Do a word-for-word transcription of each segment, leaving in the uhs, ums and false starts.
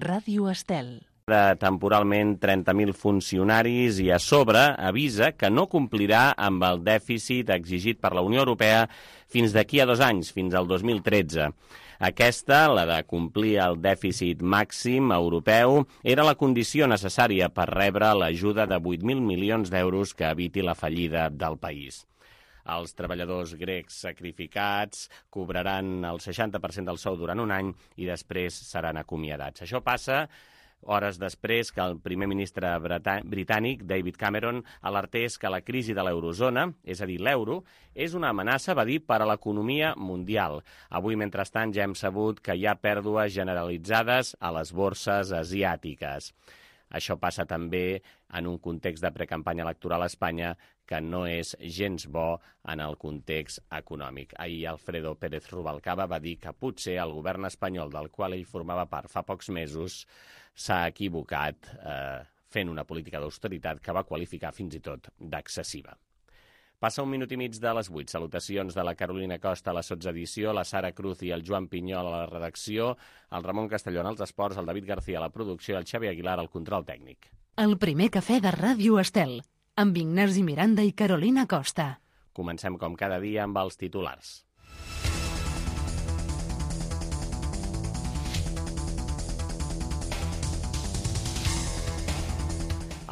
Ràdio Estel. Temporalment trenta mil funcionaris i a sobre avisa que no complirà amb el dèficit exigit per la Unió Europea fins d'aquí a dos anys, fins al dos mil tretze. Aquesta, la de complir el dèficit màxim europeu, era la condició necessària per rebre l'ajuda de vuit mil milions d'euros que eviti la fallida del país. Els treballadors grecs sacrificats cobraran el seixanta per cent del sou durant un any i després seran acomiadats. Això passa hores després que el primer ministre britànic, David Cameron, alertés que la crisi de l'eurozona, és a dir, l'euro, és una amenaça, va dir, per a l'economia mundial. Avui, mentrestant, ja hem sabut que hi ha pèrdues generalitzades a les borses asiàtiques. Això passa també en un context de precampanya electoral a Espanya que no és gens bo en el context econòmic. Ahir Alfredo Pérez Rubalcaba va dir que potser el govern espanyol del qual ell formava part fa pocs mesos s'ha equivocat eh, fent una política d'austeritat que va qualificar fins i tot d'excessiva. Passa un minut i mig de les vuit. Salutacions de la Carolina Costa a la sotsedició, la Sara Cruz i el Joan Pinyol a la redacció, el Ramon Castellón als esports, el David García a la producció i el Xavi Aguilar al control tècnic. El primer cafè de Ràdio Estel, amb Ignasi Miranda i Carolina Costa. Comencem com cada dia amb els titulars.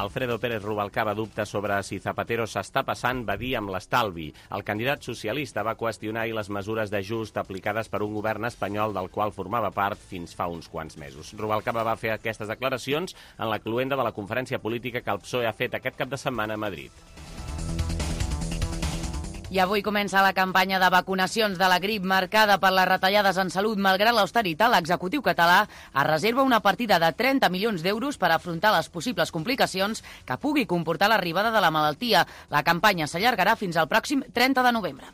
Alfredo Pérez Rubalcaba dubta sobre si Zapatero s'està passant, va dir, amb l'estalvi. El candidat socialista va qüestionar ahir les mesures d'ajust aplicades per un govern espanyol del qual formava part fins fa uns quants mesos. Rubalcaba va fer aquestes declaracions en la cloenda de la conferència política que el P S O E ha fet aquest cap de setmana a Madrid. I avui comença la campanya de vacunacions de la grip marcada per les retallades en salut. Malgrat l'austeritat, l'executiu català es reserva una partida de trenta milions d'euros per afrontar les possibles complicacions que pugui comportar l'arribada de la malaltia. La campanya s'allargarà fins al pròxim trenta de novembre.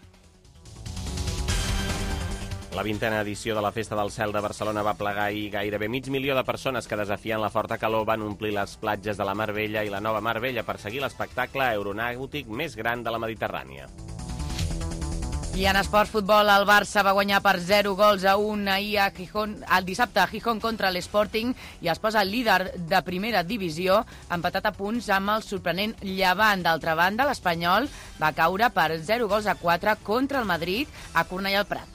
La vintena edició de la Festa del Cel de Barcelona va plegar ahir gairebé mig milió de persones que, desafiant la forta calor, van omplir les platges de la Mar Bella i la Nova Mar Bella per seguir l'espectacle aeronàutic més gran de la Mediterrània. I en esports futbol, el Barça va guanyar per zero gols a un ahir a Gijón, el dissabte a Gijón contra l'Sporting i es posa líder de primera divisió, empatat a punts amb el sorprenent Llevant. D'altra banda, l'Espanyol va caure per zero gols a quatre contra el Madrid a Cornellà al Prat.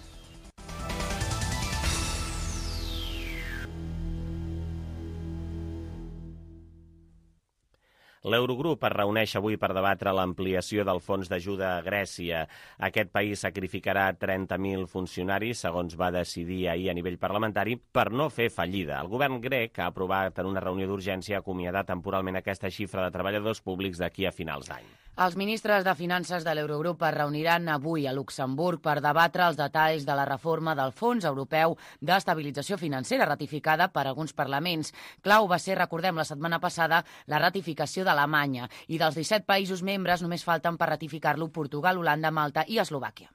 L'Eurogrup es reuneix avui per debatre l'ampliació del fons d'ajuda a Grècia. Aquest país sacrificarà trenta mil funcionaris, segons va decidir ahir a nivell parlamentari, per no fer fallida. El govern grec ha aprovat en una reunió d'urgència acomiadar temporalment aquesta xifra de treballadors públics d'aquí a finals d'any. Els ministres de Finances de l'Eurogrup es reuniran avui a Luxemburg per debatre els detalls de la reforma del Fons Europeu d'Estabilització Financera ratificada per alguns parlaments. Clau va ser, recordem, la setmana passada la ratificació d'Alemanya i dels disset països membres només falten per ratificar-lo Portugal, Holanda, Malta i Eslovàquia.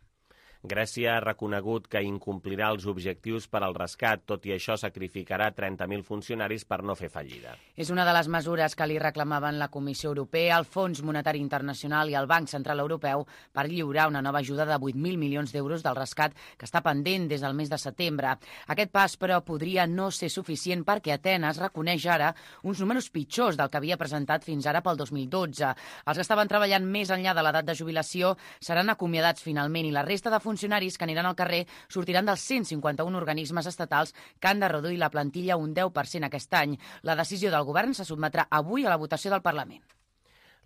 Grècia ha reconegut que incomplirà els objectius per al rescat, tot i això sacrificarà trenta mil funcionaris per no fer fallida. És una de les mesures que li reclamaven la Comissió Europea, el Fons Monetari Internacional i el Banc Central Europeu per lliurar una nova ajuda de vuit mil milions d'euros del rescat que està pendent des del mes de setembre. Aquest pas, però, podria no ser suficient perquè Atenes reconeix ara uns números pitjors del que havia presentat fins ara pel dos mil dotze. Els que estaven treballant més enllà de l'edat de jubilació seran acomiadats finalment i la resta de funcionaris que aniran al carrer sortiran dels cent cinquanta-un organismes estatals que han de reduir la plantilla un deu per cent aquest any. La decisió del govern se sotmetrà avui a la votació del Parlament.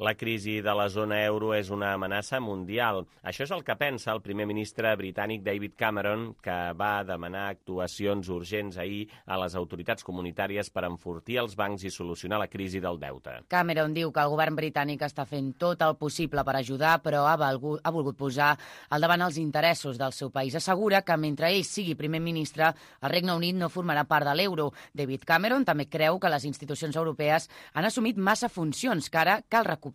La crisi de la zona euro és una amenaça mundial. Això és el que pensa el primer ministre britànic David Cameron, que va demanar actuacions urgents ahir a les autoritats comunitàries per enfortir els bancs i solucionar la crisi del deute. Cameron diu que el govern britànic està fent tot el possible per ajudar, però ha volgut, ha volgut posar al davant els interessos del seu país. Assegura que mentre ell sigui primer ministre, el Regne Unit no formarà part de l'euro. David Cameron també creu que les institucions europees han assumit massa funcions que ara cal recuperar.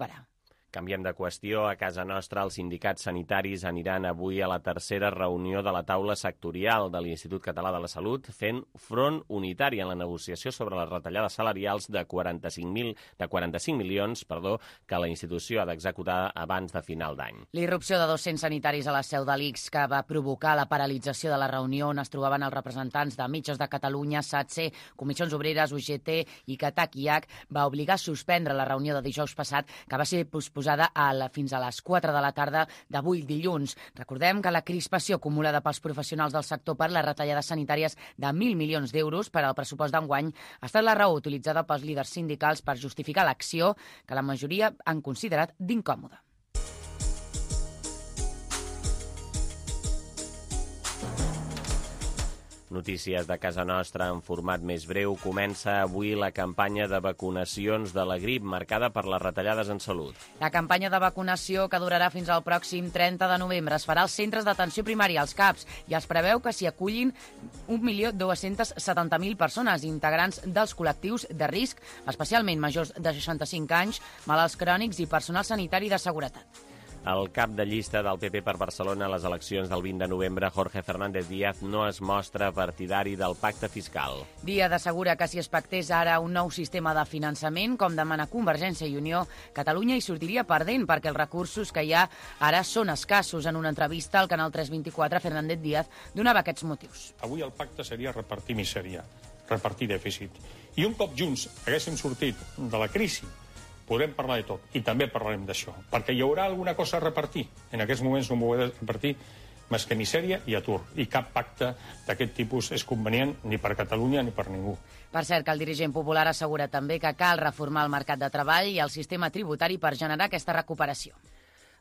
Canviem de qüestió. A casa nostra, els sindicats sanitaris aniran avui a la tercera reunió de la taula sectorial de l'Institut Català de la Salut, fent front unitari en la negociació sobre les retallades salarials de quaranta-cinc mil de quaranta-cinc milions perdó, que la institució ha d'executar abans de final d'any. L'irrupció de dos-cents sanitaris a la seu de l'I C S que va provocar la paralització de la reunió on es trobaven els representants de Metges de Catalunya, SATSE, Comissions Obreres, U G T i CATAC i H, va obligar a suspendre la reunió de dijous passat, que va ser posposada a la, fins a les quatre de la tarda d'avui dilluns. Recordem que la crispació acumulada pels professionals del sector per les retallades sanitàries de mil milions d'euros per al pressupost d'enguany ha estat la raó utilitzada pels líders sindicals per justificar l'acció que la majoria han considerat d'incòmoda. Notícies de casa nostra en format més breu. Comença avui la campanya de vacunacions de la grip, marcada per les retallades en salut. La campanya de vacunació, que durarà fins al pròxim trenta de novembre, es farà als centres d'atenció primària, als CAPs, i es preveu que s'hi acullin un milió dos-cents setanta mil persones, integrants dels col·lectius de risc, especialment majors de seixanta-cinc anys, malalts crònics i personal sanitari de seguretat. El cap de llista del P P per Barcelona a les eleccions del vint de novembre, Jorge Fernández Díaz, no es mostra partidari del pacte fiscal. Díaz assegura que si es pactés ara un nou sistema de finançament, com demana Convergència i Unió, Catalunya hi sortiria perdent perquè els recursos que hi ha ara són escassos. En una entrevista al Canal tres vint-i-quatre, Fernández Díaz donava aquests motius. Avui el pacte seria repartir misèria, repartir dèficit. I un cop junts haguéssim sortit de la crisi, podrem parlar de tot, i també parlarem d'això, perquè hi haurà alguna cosa a repartir. En aquests moments no m'ho he de repartir més que misèria i atur, i cap pacte d'aquest tipus és convenient ni per Catalunya ni per ningú. Per cert, que el dirigent popular assegura també que cal reformar el mercat de treball i el sistema tributari per generar aquesta recuperació.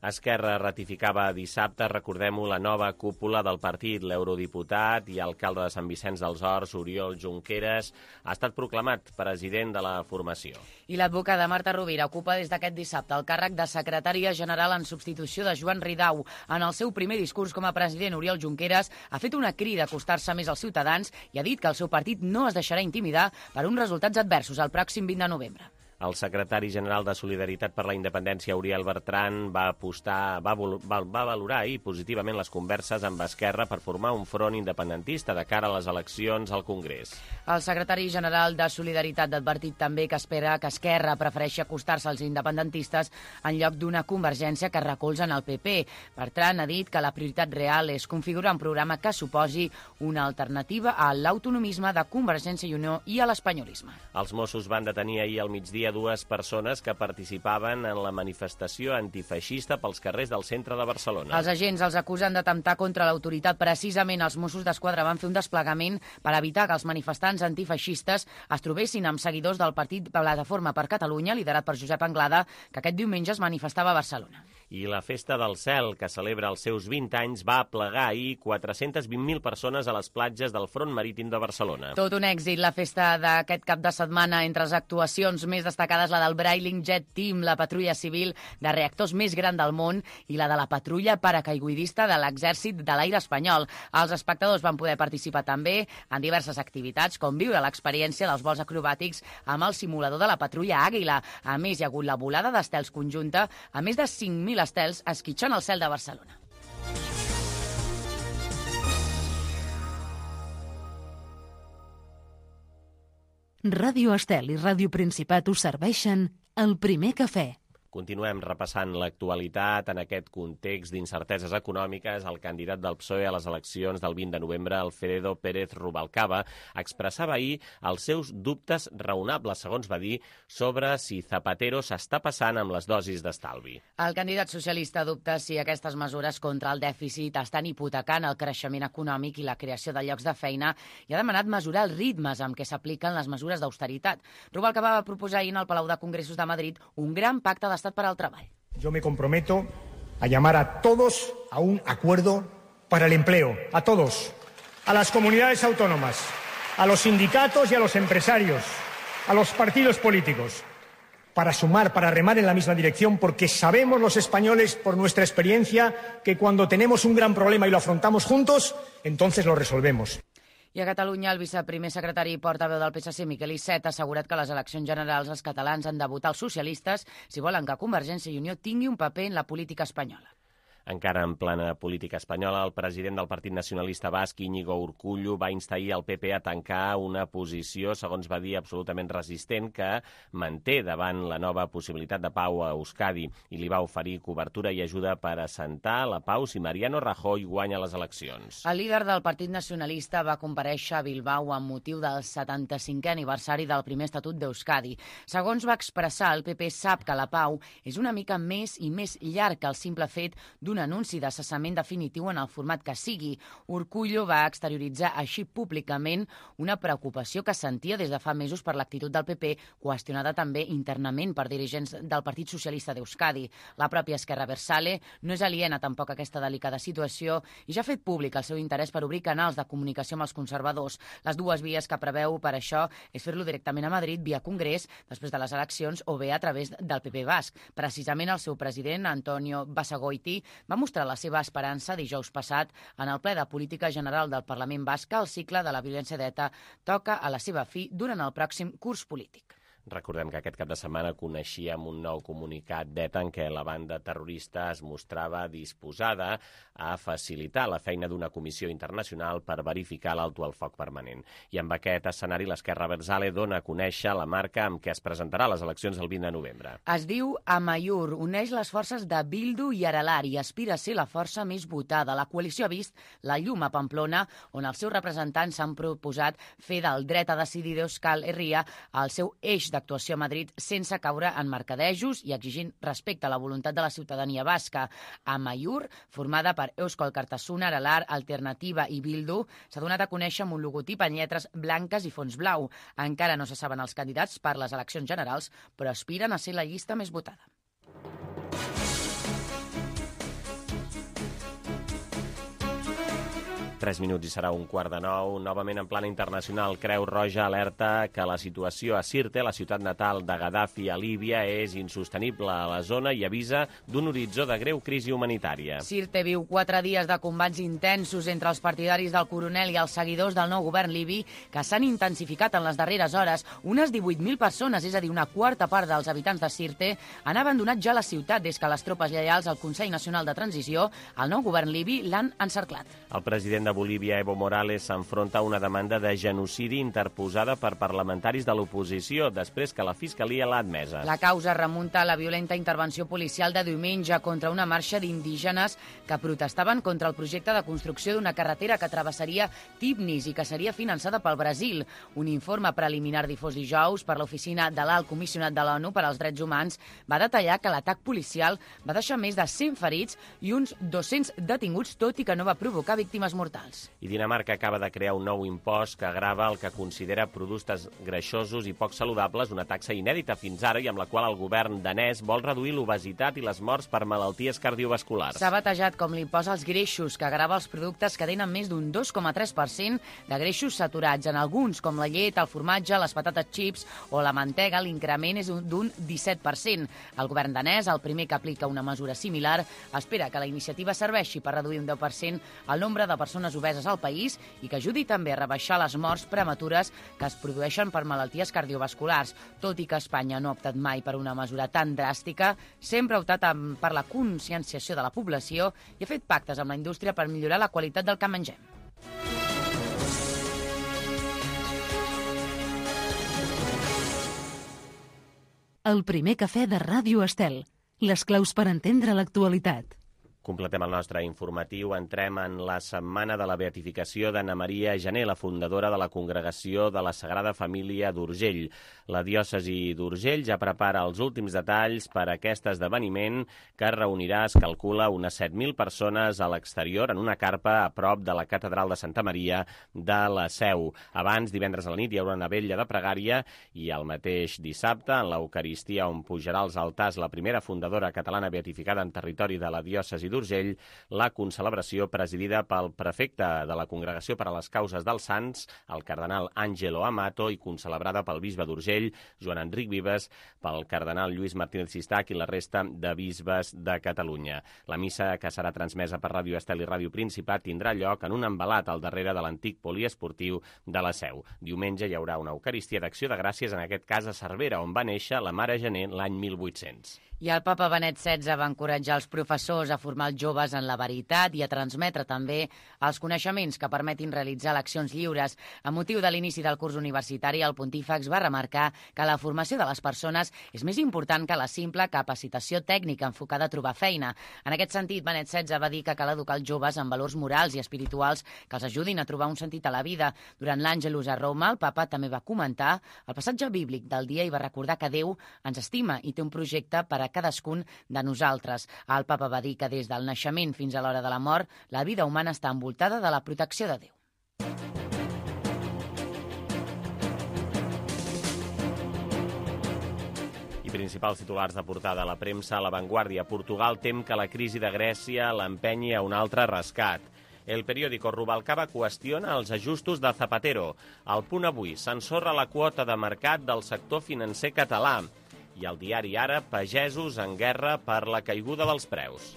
Esquerra ratificava dissabte, recordem-ho, la nova cúpula del partit. L'eurodiputat i alcalde de Sant Vicenç dels Horts, Oriol Junqueras, ha estat proclamat president de la formació. I l'advocada Marta Rovira ocupa des d'aquest dissabte el càrrec de secretària general en substitució de Joan Ridau. En el seu primer discurs com a president, Oriol Junqueras ha fet una crida a acostar-se més als ciutadans i ha dit que el seu partit no es deixarà intimidar per uns resultats adversos el pròxim vint de novembre. El secretari general de Solidaritat per la Independència, Uriel Bertran, va apostar, va, va, va valorar ahir positivament les converses amb Esquerra per formar un front independentista de cara a les eleccions al Congrés. El secretari general de Solidaritat ha advertit també que espera que Esquerra prefereixi acostar-se als independentistes en lloc d'una convergència que recolzen el P P. Bertran ha dit que la prioritat real és configurar un programa que suposi una alternativa a l'autonomisme de Convergència i Unió i a l'espanyolisme. Els Mossos van detenir ahir al migdia dues persones que participaven en la manifestació antifeixista pels carrers del centre de Barcelona. Els agents els acusen d'atemptar contra l'autoritat. Precisament els Mossos d'Esquadra van fer un desplegament per evitar que els manifestants antifeixistes es trobessin amb seguidors del partit Plataforma per Catalunya, liderat per Josep Anglada, que aquest diumenge es manifestava a Barcelona. I la Festa del Cel, que celebra els seus vint anys, va aplegar ahir quatre-centes vint mil persones a les platges del front marítim de Barcelona. Tot un èxit, la festa d'aquest cap de setmana. Entre les actuacions més destacades, la del Brailing Jet Team, la patrulla civil de reactors més gran del món, i la de la patrulla paracaigudista de l'Exèrcit de l'Aire espanyol. Els espectadors van poder participar també en diverses activitats, com viure l'experiència dels vols acrobàtics amb el simulador de la patrulla Àguila. A més, hi ha hagut la volada d'estels conjunta a més de cinc mil estels esquitxant el cel de Barcelona. Ràdio Estel i Ràdio Principat us serveixen el primer cafè. Continuem repassant l'actualitat. En aquest context d'incerteses econòmiques, el candidat del P S O E a les eleccions del vint de novembre, Alfredo Pérez Rubalcaba, expressava ahir els seus dubtes raonables, segons va dir, sobre si Zapatero s'està passant amb les dosis d'estalvi. El candidat socialista dubta si aquestes mesures contra el dèficit estan hipotecant el creixement econòmic i la creació de llocs de feina i ha demanat mesurar els ritmes amb què s'apliquen les mesures d'austeritat. Rubalcaba va proposar ahir en el Palau de Congressos de Madrid un gran pacte d'estat para el trabajo. Yo me comprometo a llamar a todos a un acuerdo para el empleo, a todos, a las comunidades autónomas, a los sindicatos y a los empresarios, a los partidos políticos, para sumar, para remar en la misma dirección, porque sabemos los españoles, por nuestra experiencia, que cuando tenemos un gran problema y lo afrontamos juntos, entonces lo resolvemos. I a Catalunya, el viceprimer secretari i portaveu del P S C, Miquel Iceta, ha assegurat que a les eleccions generals els catalans han de votar els socialistes si volen que Convergència i Unió tingui un paper en la política espanyola. Encara en plena política espanyola, el president del Partit Nacionalista Basc, Íñigo Urkullu, va instar ahir el P P a tancar una posició, segons va dir, absolutament resistent, que manté davant la nova possibilitat de pau a Euskadi i li va oferir cobertura i ajuda per assentar la pau si Mariano Rajoy guanya les eleccions. El líder del Partit Nacionalista va comparèixer a Bilbao amb motiu del setanta-cinquè aniversari del primer Estatut d'Euskadi. Segons va expressar, el P P sap que la pau és una mica més i més llarg que el simple fet d'un un anunci de cessament definitiu en el format que sigui. Urkullu va exterioritzar així públicament una preocupació que sentia des de fa mesos per l'actitud del P P, qüestionada també internament per dirigents del Partit Socialista d'Euskadi. La pròpia Esquerra Abertzale no és aliena tampoc a aquesta delicada situació i ja ha fet públic el seu interès per obrir canals de comunicació amb els conservadors. Les dues vies que preveu per això és fer-lo directament a Madrid via Congrés després de les eleccions o bé a través del P P basc. Precisament el seu president, Antonio Basagoiti, va mostrar la seva esperança dijous passat en el ple de política general del Parlament basc que el cicle de la violència d'ETA toca a la seva fi durant el pròxim curs polític. Recordem que aquest cap de setmana coneixíem un nou comunicat d'ETA en què la banda terrorista es mostrava disposada a facilitar la feina d'una comissió internacional per verificar l'alto al foc permanent. I amb aquest escenari l'Esquerra Abertzale dona a conèixer la marca amb què es presentarà a les eleccions el vint de novembre. Es diu Amaiur, uneix les forces de Bildu i Aralar i aspira a ser la força més votada. La coalició ha vist la llum a Pamplona, on els seus representants s'han proposat fer del dret a decidir d'Euskal Herria el seu eix d'actuació a Madrid sense caure en mercadejos i exigint respecte a la voluntat de la ciutadania basca. Amaiur, formada per Eusko Alkartasuna, Aralar, Alternativa i Bildu, s'ha donat a conèixer amb un logotip en lletres blanques i fons blau. Encara no se saben els candidats per les eleccions generals, però aspiren a ser la llista més votada. Tres minuts i serà un quart de nou. Novament en plana internacional, Creu Roja alerta que la situació a Sirte, la ciutat natal de Gaddafi a Líbia, és insostenible a la zona i avisa d'un horitzó de greu crisi humanitària. Sirte viu quatre dies de combats intensos entre els partidaris del coronel i els seguidors del nou govern libi que s'han intensificat en les darreres hores. Unes divuit mil persones, és a dir, una quarta part dels habitants de Sirte, han abandonat ja la ciutat des que les tropes lleials al Consell Nacional de Transició, el nou govern libi, l'han encerclat. El president de Bolívia, Evo Morales, s'enfronta a una demanda de genocidi interposada per parlamentaris de l'oposició, després que la Fiscalia l'ha admesa. La causa remunta a la violenta intervenció policial de diumenge contra una marxa d'indígenes que protestaven contra el projecte de construcció d'una carretera que travessaria Tibnis i que seria finançada pel Brasil. Un informe preliminar difós dijous per l'oficina de l'Alt Comissionat de l'ONU per als Drets Humans va detallar que l'atac policial va deixar més de cent ferits i uns dos-cents detinguts, tot i que no va provocar víctimes mortals. I Dinamarca acaba de crear un nou impost que grava el que considera productes greixosos i poc saludables, una taxa inèdita fins ara i amb la qual el govern danès vol reduir l'obesitat i les morts per malalties cardiovasculars. S'ha batejat com l'impost als greixos, que grava els productes que tenen més d'un dos coma tres per cent de greixos saturats. En alguns, com la llet, el formatge, les patates chips o la mantega, l'increment és d'un disset per cent. El govern danès, el primer que aplica una mesura similar, espera que la iniciativa serveixi per reduir un deu per cent el nombre de persones obeses al país i que ajudi també a rebaixar les morts prematures que es produeixen per malalties cardiovasculars. Tot i que Espanya no ha optat mai per una mesura tan dràstica, sempre ha optat per la conscienciació de la població i ha fet pactes amb la indústria per millorar la qualitat del que mengem. El primer cafè de Ràdio Estel. Les claus per entendre l'actualitat. Completem el nostre informatiu. Entrem en la setmana de la beatificació d'Anna Maria Gené, la fundadora de la Congregació de la Sagrada Família d'Urgell. La diòcesi d'Urgell ja prepara els últims detalls per a aquest esdeveniment que reunirà, es calcula, unes set mil persones a l'exterior en una carpa a prop de la Catedral de Santa Maria de la Seu. Abans, divendres a la nit, hi haurà una vetlla de pregària i el mateix dissabte, en l'Eucaristia on pujarà als altars la primera fundadora catalana beatificada en territori de la diòcesi d'Urgell la concelebració presidida pel prefecte de la Congregació per a les Causes dels Sants, el cardenal Àngelo Amato, i concelebrada pel bisbe d'Urgell, Joan Enric Vives, pel cardenal Lluís Martínez Sistac i la resta de bisbes de Catalunya. La missa, que serà transmesa per Ràdio Estel i Ràdio Principat, tindrà lloc en un envelat al darrere de l'antic poliesportiu de la Seu. Diumenge hi haurà una Eucaristia d'Acció de Gràcies, en aquest cas a Cervera, on va néixer la Mare Gener l'any mil vuit-cents. I el papa Benet setze va encoratjar els professors a formar els joves en la veritat i a transmetre també els coneixements que permetin realitzar eleccions lliures. A motiu de l'inici del curs universitari, el pontífex va remarcar que la formació de les persones és més important que la simple capacitació tècnica enfocada a trobar feina. En aquest sentit, Benet setze va dir que cal educar els joves en valors morals i espirituals que els ajudin a trobar un sentit a la vida. Durant l'Àngelus a Roma, el papa també va comentar el passatge bíblic del dia i va recordar que Déu ens estima i té un projecte per a cadascun de nosaltres. El papa va dir que des del naixement fins a l'hora de la mort, la vida humana està envoltada de la protecció de Déu. I principals titulars de portada a la premsa. A La Vanguardia, Portugal tem que la crisi de Grècia l'empenyi a un altre rescat. El periòdico Rubalcaba qüestiona els ajustos de Zapatero. Al Punt Avui s'ensorra la quota de mercat del sector financer català. I al diari Ara, pagesos en guerra per la caiguda dels preus.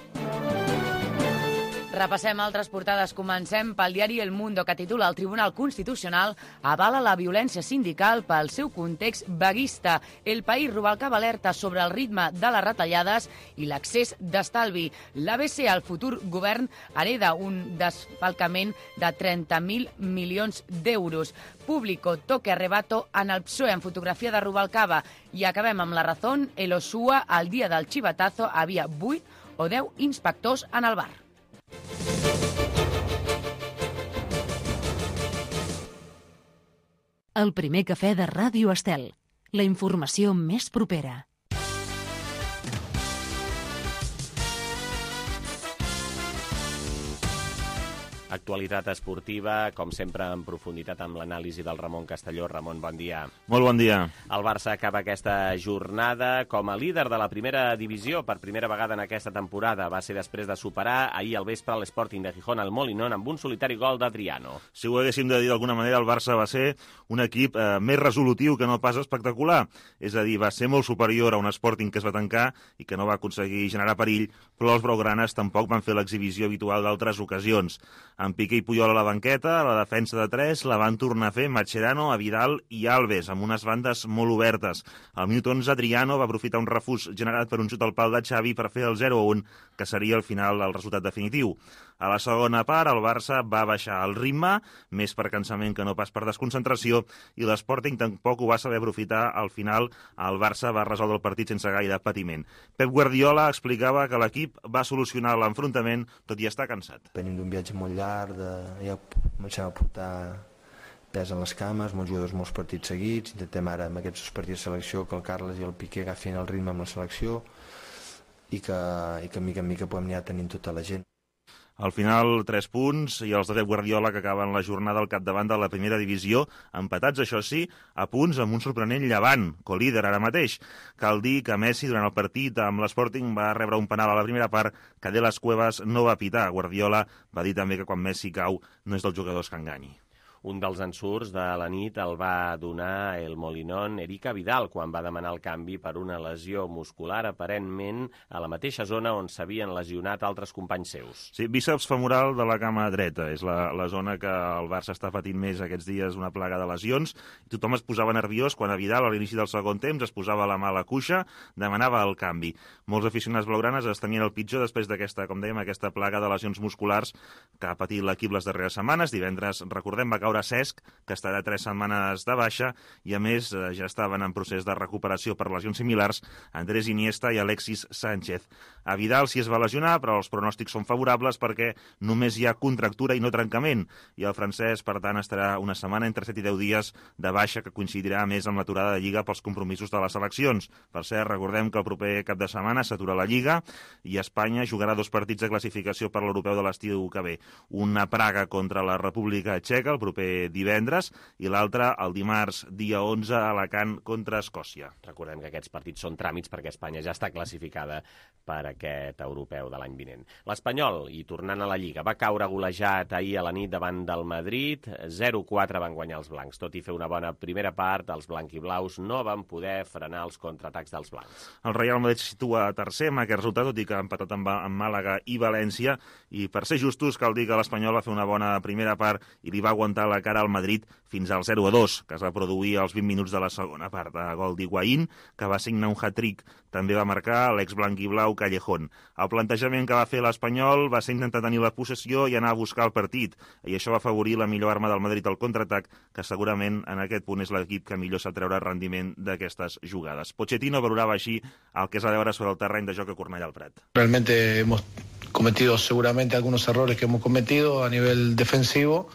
Repassem altres portades. Comencem pel diari El Mundo, que titula: el Tribunal Constitucional avala la violència sindical pel seu context vaguista. El País, Rubalcaba alerta sobre el ritme de les retallades i l'accés d'estalvi. L'A B C, el futur govern, hereda un desfalcament de trenta mil milions d'euros. Público, toque arrebato en el P S O E, en fotografia de Rubalcaba. I acabem amb La Razón. El Osua, al dia del xivatazo, havia vuit o deu inspectors en el bar. El primer cafè de Ràdio Estel. La informació més propera. Actualitat esportiva, com sempre en profunditat amb l'anàlisi del Ramon Castelló. Ramon, bon dia. Molt bon dia. El Barça acaba aquesta jornada com a líder de la primera divisió per primera vegada en aquesta temporada. Va ser després de superar ahir al vespre l'Sporting de Gijón al Molinón amb un solitari gol d'Adriano. Si ho haguéssim de dir d'alguna manera, el Barça va ser un equip eh, més resolutiu que no pas espectacular. És a dir, va ser molt superior a un Sporting que es va tancar i que no va aconseguir generar perill, però els blaugranes tampoc van fer l'exhibició habitual d'altres ocasions. Amb Piqué i Puyol a la banqueta, la defensa de tres la van tornar a fer Mascherano, Vidal i Alves, amb unes bandes molt obertes. Al minut onze, Adriano va aprofitar un refús generat per un xut al pal de Xavi per fer el zero a un, que seria al final el resultat definitiu. A la segona part, el Barça va baixar el ritme, més per cansament que no pas per desconcentració, i l'Sporting tampoc ho va saber aprofitar. Al final, el Barça va resoldre el partit sense gaire patiment. Pep Guardiola explicava que l'equip va solucionar l'enfrontament, tot i estar cansat. Venim d'un viatge molt llarg, de... ja comencem a portar pes en les cames, molts jugadors, molts partits seguits. Intentem ara, amb aquests partits de selecció, que el Carles i el Piqué agafin el ritme amb la selecció i que, i que mica en mica podem anar tenint tota la gent. Al final, tres punts, i els de Pep Guardiola que acaben la jornada al capdavant de la primera divisió, empatats, això sí, a punts amb un sorprenent Llevant, colíder ara mateix. Cal dir que Messi, durant el partit amb l'Sporting, va rebre un penal a la primera part que De Las Cuevas no va pitar. Guardiola va dir també que quan Messi cau no és dels jugadors que enganyi. Un dels ensurts de la nit el va donar el Molinón Erika Vidal quan va demanar el canvi per una lesió muscular aparentment a la mateixa zona on s'havien lesionat altres companys seus. Sí, bíceps femoral de la cama dreta. És la, la zona que el Barça està patint més aquests dies, una plaga de lesions. Tothom es posava nerviós quan a Vidal a l'inici del segon temps es posava la mà a la cuixa, demanava el canvi. Molts aficionats blaugranes es tenien el pitjor després d'aquesta, com dèiem, aquesta plaga de lesions musculars que ha patit l'equip les darreres setmanes. Divendres, recordem, va caure Cesc, que estarà tres setmanes de baixa, i a més ja estaven en procés de recuperació per lesions similars Andrés Iniesta i Alexis Sánchez. A Vidal sí es va lesionar, però els pronòstics són favorables perquè només hi ha contractura i no trencament, i el francès, per tant, estarà una setmana entre set i deu dies de baixa, que coincidirà més amb l'aturada de Lliga pels compromisos de les eleccions. Per cert, recordem que el proper cap de setmana s'atura la Lliga i Espanya jugarà dos partits de classificació per l'europeu de l'estiu que ve. Una Praga contra la República Txeca el proper ser divendres, i l'altre el dimarts, dia onze, a Alacant contra Escòcia. Recordem que aquests partits són tràmits perquè Espanya ja està classificada per aquest europeu de l'any vinent. L'Espanyol, i tornant a la Lliga, va caure golejat ahir a la nit davant del Madrid. zero quatre van guanyar els blancs. Tot i fer una bona primera part, els blanquiblaus no van poder frenar els contraatacs dels blancs. El Real Madrid se situa tercer amb aquest resultat, tot i que ha empatat amb, amb Màlaga i València, i per ser justos cal dir que l'Espanyol va fer una bona primera part i li va aguantar la cara al Madrid fins al zero a dos, que es va produir als vint minuts de la segona part. A gol d'Higuaín, que va signar un hat-trick, també va marcar l'ex-blanquiblau Callejón. El plantejament que va fer l'Espanyol va ser intentar tenir la possessió i anar a buscar el partit, i això va afavorir la millor arma del Madrid al contraatac, que segurament en aquest punt és l'equip que millor sap treure rendiment d'aquestes jugades. Pochettino valorava així el que és a veure sobre el terreny de joc a Cornellà al Prat. Realmente hemos cometido seguramente algunos errores que hemos cometido a nivel defensivo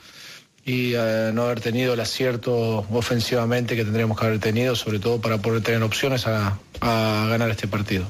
y eh, no haber tenido el acierto ofensivamente que tendríamos que haber tenido, sobre todo para poder tener opciones a, a ganar este partido.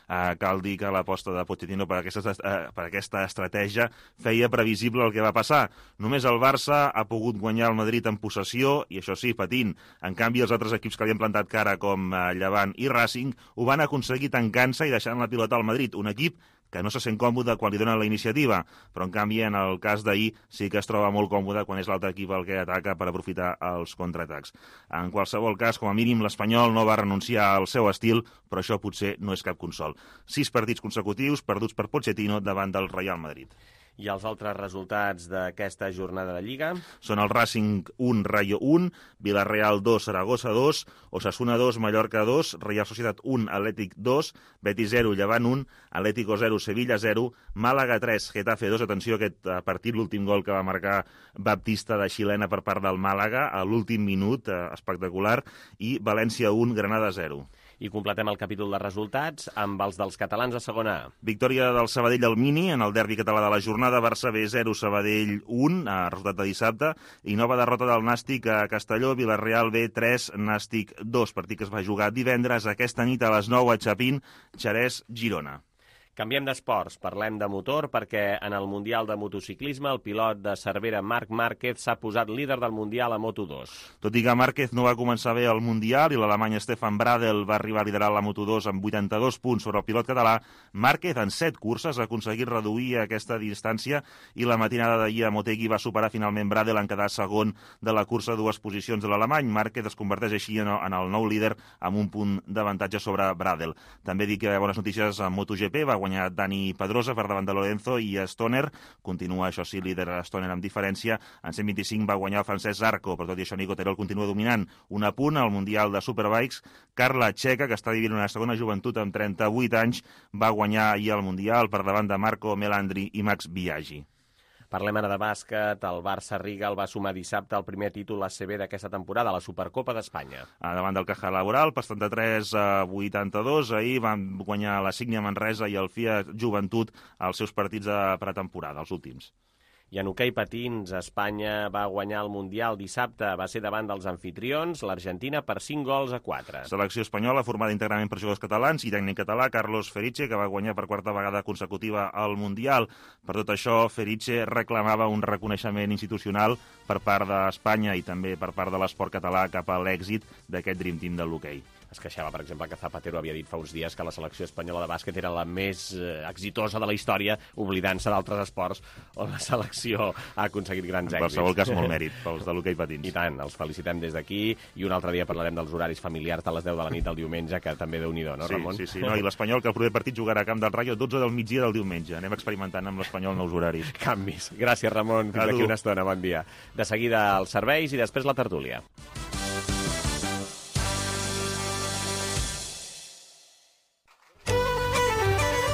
Uh, cal dir que l'aposta de Pochettino per aquesta, uh, per aquesta estratègia feia previsible el que va passar. Només el Barça ha pogut guanyar el Madrid en possessió, i això sí, patint. En canvi, els altres equips que li han plantat cara, com uh, Llevant i Racing, ho van aconseguir tancant-se i deixant la pilota al Madrid, un equip que no se sent còmode quan li donen la iniciativa, però en canvi en el cas d'ahir sí que es troba molt còmode quan és l'altre equip el que ataca per aprofitar els contraatacs. En qualsevol cas, com a mínim, l'Espanyol no va renunciar al seu estil, però això potser no és cap consol. Sis partits consecutius perduts per Pochettino davant del Real Madrid. I els altres resultats d'aquesta jornada de Lliga? Són el Racing un, Rayo un, Villarreal dos, Saragossa dos, Osasuna dos, Mallorca dos, Real Societat un, Atlètic dos, Betis zero, Llevant un, Atlético zero, Sevilla zero, Màlaga tres, Getafe dos. Atenció, aquest partit, l'últim gol que va marcar Baptista de xilena per part del Màlaga, a l'últim minut, eh, espectacular, i València un, Granada zero. I completem el capítol de resultats amb els dels catalans a segona A. Victòria del Sabadell al Mini en el derbi català de la jornada, Barça B zero, Sabadell un, a resultat de dissabte, i nova derrota del Nàstic a Castelló, Villarreal B tres, Nàstic dos, partit que es va jugar divendres aquesta nit a les nou a Chapín, Xerès, Girona. Canviem d'esports, parlem de motor, perquè en el Mundial de Motociclisme el pilot de Cervera Marc Márquez s'ha posat líder del Mundial a Moto dos. Tot i que Márquez no va començar bé al Mundial i l'alemany Stefan Bradl va arribar a liderar la Moto dos amb vuitanta-dos punts sobre el pilot català, Márquez en set curses ha aconseguit reduir aquesta distància i la matinada d'ahir a Motegi va superar finalment Bradl en quedar segon de la cursa a dues posicions de l'alemany. Márquez es converteix així en el nou líder amb un punt d'avantatge sobre Bradl. També dic que bones notícies a MotoGP, va guanyar Dani Pedrosa per davant de Lorenzo i Stoner. Continua, això sí, líder Stoner amb diferència. En cent vint-i-cinc va guanyar el francès Zarco, però tot i això Nico Terol continua dominant. Un apunt al Mundial de Superbikes. Carla Checa, que està vivint una segona joventut amb trenta-vuit anys, va guanyar ahir el Mundial per davant de Marco Melandri i Max Biaggi. Parlem ara de bàsquet. El Barça Rigal va sumar dissabte el primer títol A C B d'aquesta temporada, la Supercopa d'Espanya. Davant del Caja Laboral, per setanta-tres a vuitanta-dos. Ahir van guanyar la Sígnia Manresa i el Fiat Joventut als seus partits de pretemporada, els últims. I en hoquei patins, Espanya va guanyar el Mundial dissabte. Va ser davant dels anfitrions, l'Argentina, per cinc gols a quatre. Selecció espanyola formada íntegrament per jugadors catalans i tècnic català, Carlos Feriche, que va guanyar per quarta vegada consecutiva al Mundial. Per tot això, Feriche reclamava un reconeixement institucional per part d'Espanya i també per part de l'esport català cap a l'èxit d'aquest Dream Team del l'hoquei. Es queixava, per exemple, que Zapatero havia dit fa uns dies que la selecció espanyola de bàsquet era la més eh, exitosa de la història, oblidant-se d'altres esports on la selecció ha aconseguit grans èxits. En qualsevol cas, molt mèrit pels de l'hoquei patins. I tant, els felicitem des d'aquí, i un altre dia parlarem dels horaris familiars a les deu de la nit del diumenge, que també Déu-n'hi-do, no, sí, Ramon? Sí, sí, no, i l'Espanyol, que el proper partit jugarà a Camp del Rayo dotze del migdia del diumenge. Anem experimentant amb l'Espanyol nous horaris. Canvis. Gràcies, Ramon. Fins aquí una estona. Bon dia. De seguida els serveis i després la tertúlia.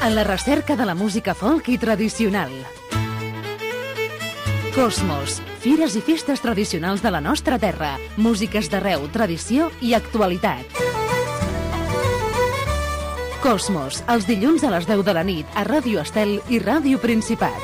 En la recerca de la música folk i tradicional. Cosmos, fires i festes tradicionals de la nostra terra, músiques d'arreu, tradició i actualitat. Cosmos, els dilluns a les deu de la nit a Ràdio Estel i Ràdio Principat.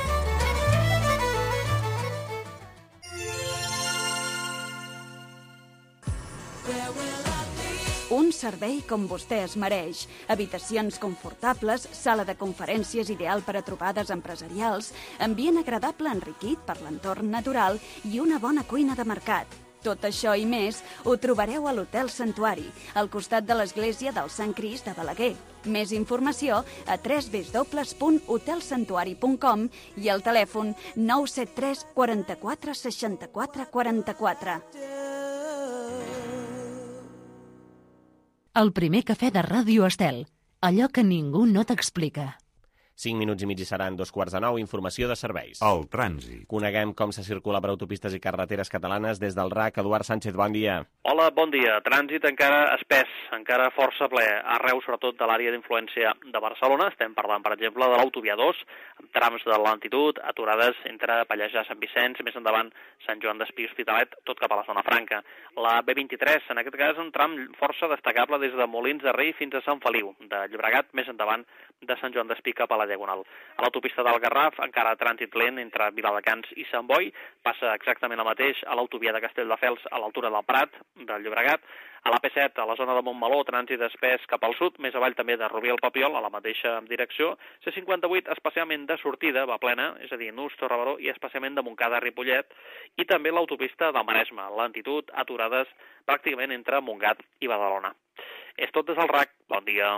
Un servei com vostè es mereix. Habitacions confortables, sala de conferències ideal per a trobades empresarials, ambient agradable enriquit per l'entorn natural i una bona cuina de mercat. Tot això i més ho trobareu a l'Hotel Santuari, al costat de l'església del Sant Crist de Balaguer. Més informació a w w w punt hotel santuari punt com i al telèfon nou set tres quaranta-quatre seixanta-quatre quaranta-quatre. El primer cafè de Ràdio Estel. Allò que ningú no t'explica. cinc minuts i mig i seran dos quarts de nou. Informació de serveis. El trànsit. Coneguem com se circula per autopistes i carreteres catalanes des del R A C. Eduard Sánchez, bon dia. Hola, bon dia. Trànsit encara espès, encara força ple, arreu sobretot de l'àrea d'influència de Barcelona. Estem parlant, per exemple, de l'autovia dos, amb trams de lentitud, aturades entre Pallejà, Sant Vicenç, més endavant Sant Joan d'Espí, Hospitalet, tot cap a la zona franca. La B vint-i-tres, en aquest cas, un tram força destacable des de Molins de Rei fins a Sant Feliu, de Llobregat, més endavant de Sant Joan d'Espí cap a la Diagonal. A l'autopista del Garraf, encara trànsit lent entre Viladecans i Sant Boi, passa exactament el mateix a l'autovia de Castelldefels a l'altura del Prat, del Llobregat. A la P set, a la zona de Montmeló, trànsit espès cap al sud, més avall també de Rubí al Papiol, a la mateixa direcció. C cinquanta-vuit, especialment de sortida, va plena, és a dir, Nus, Torrebaró i especialment de Montcada a Ripollet. I també l'autopista del Maresme, lentitud, aturades pràcticament entre Montgat i Badalona. És tot des del R A C. Bon dia.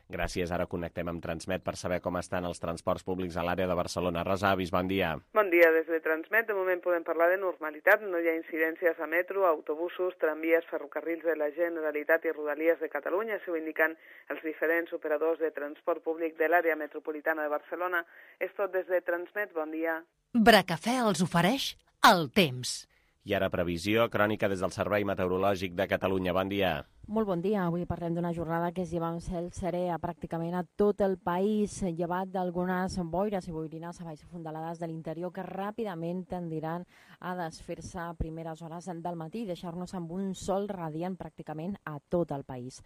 Gràcies. Ara connectem amb Transmet per saber com estan els transports públics a l'àrea de Barcelona. Rosa Avis, bon dia. Bon dia. Des de Transmet, de moment podem parlar de normalitat. No hi ha incidències a metro, autobusos, tramvies, ferrocarrils de la Generalitat i Rodalies de Catalunya. Això ho indiquen els diferents operadors de transport públic de l'àrea metropolitana de Barcelona. És tot des de Transmet. Bon dia. Bracafè els ofereix el temps. I ara previsió, crònica des del Servei Meteorològic de Catalunya. Bon dia. Molt bon dia. Avui parlem d'una jornada que es lleva un cel serè a pràcticament a tot el país, llevat d'algunes boires i boirines a baix fondalades de l'interior que ràpidament tendiran a desfer-se a primeres hores del matí i deixar-nos amb un sol radiant pràcticament a tot el país.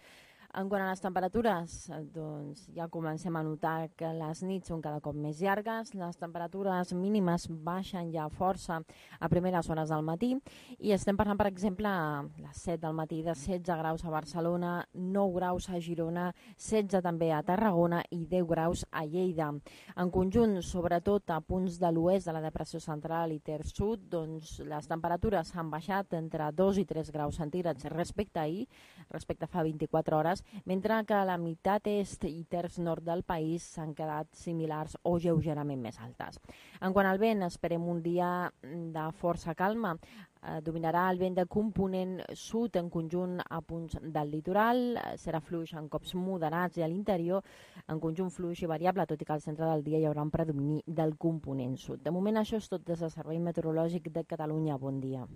En quant a les temperatures, doncs ja comencem a notar que les nits són cada cop més llargues, les temperatures mínimes baixen ja força a primeres hores del matí i estem parlant, per exemple, a les set del matí de setze graus a Barcelona, nou graus a Girona, setze també a Tarragona i deu graus a Lleida. En conjunt, sobretot a punts de l'oest de la depressió central i terç sud, doncs les temperatures han baixat entre dos i tres graus centígrads respecte a ahir, respecte a fa vint-i-quatre hores, mentre que a la meitat est i terç nord del país s'han quedat similars o lleugerament més altes. En quant al vent, esperem un dia de força calma. Eh, dominarà el vent de component sud en conjunt a punts del litoral, serà fluix en cops moderats i a l'interior, en conjunt fluix i variable, tot i que al centre del dia hi haurà un predomini del component sud. De moment això és tot des del Servei Meteorològic de Catalunya. Bon dia.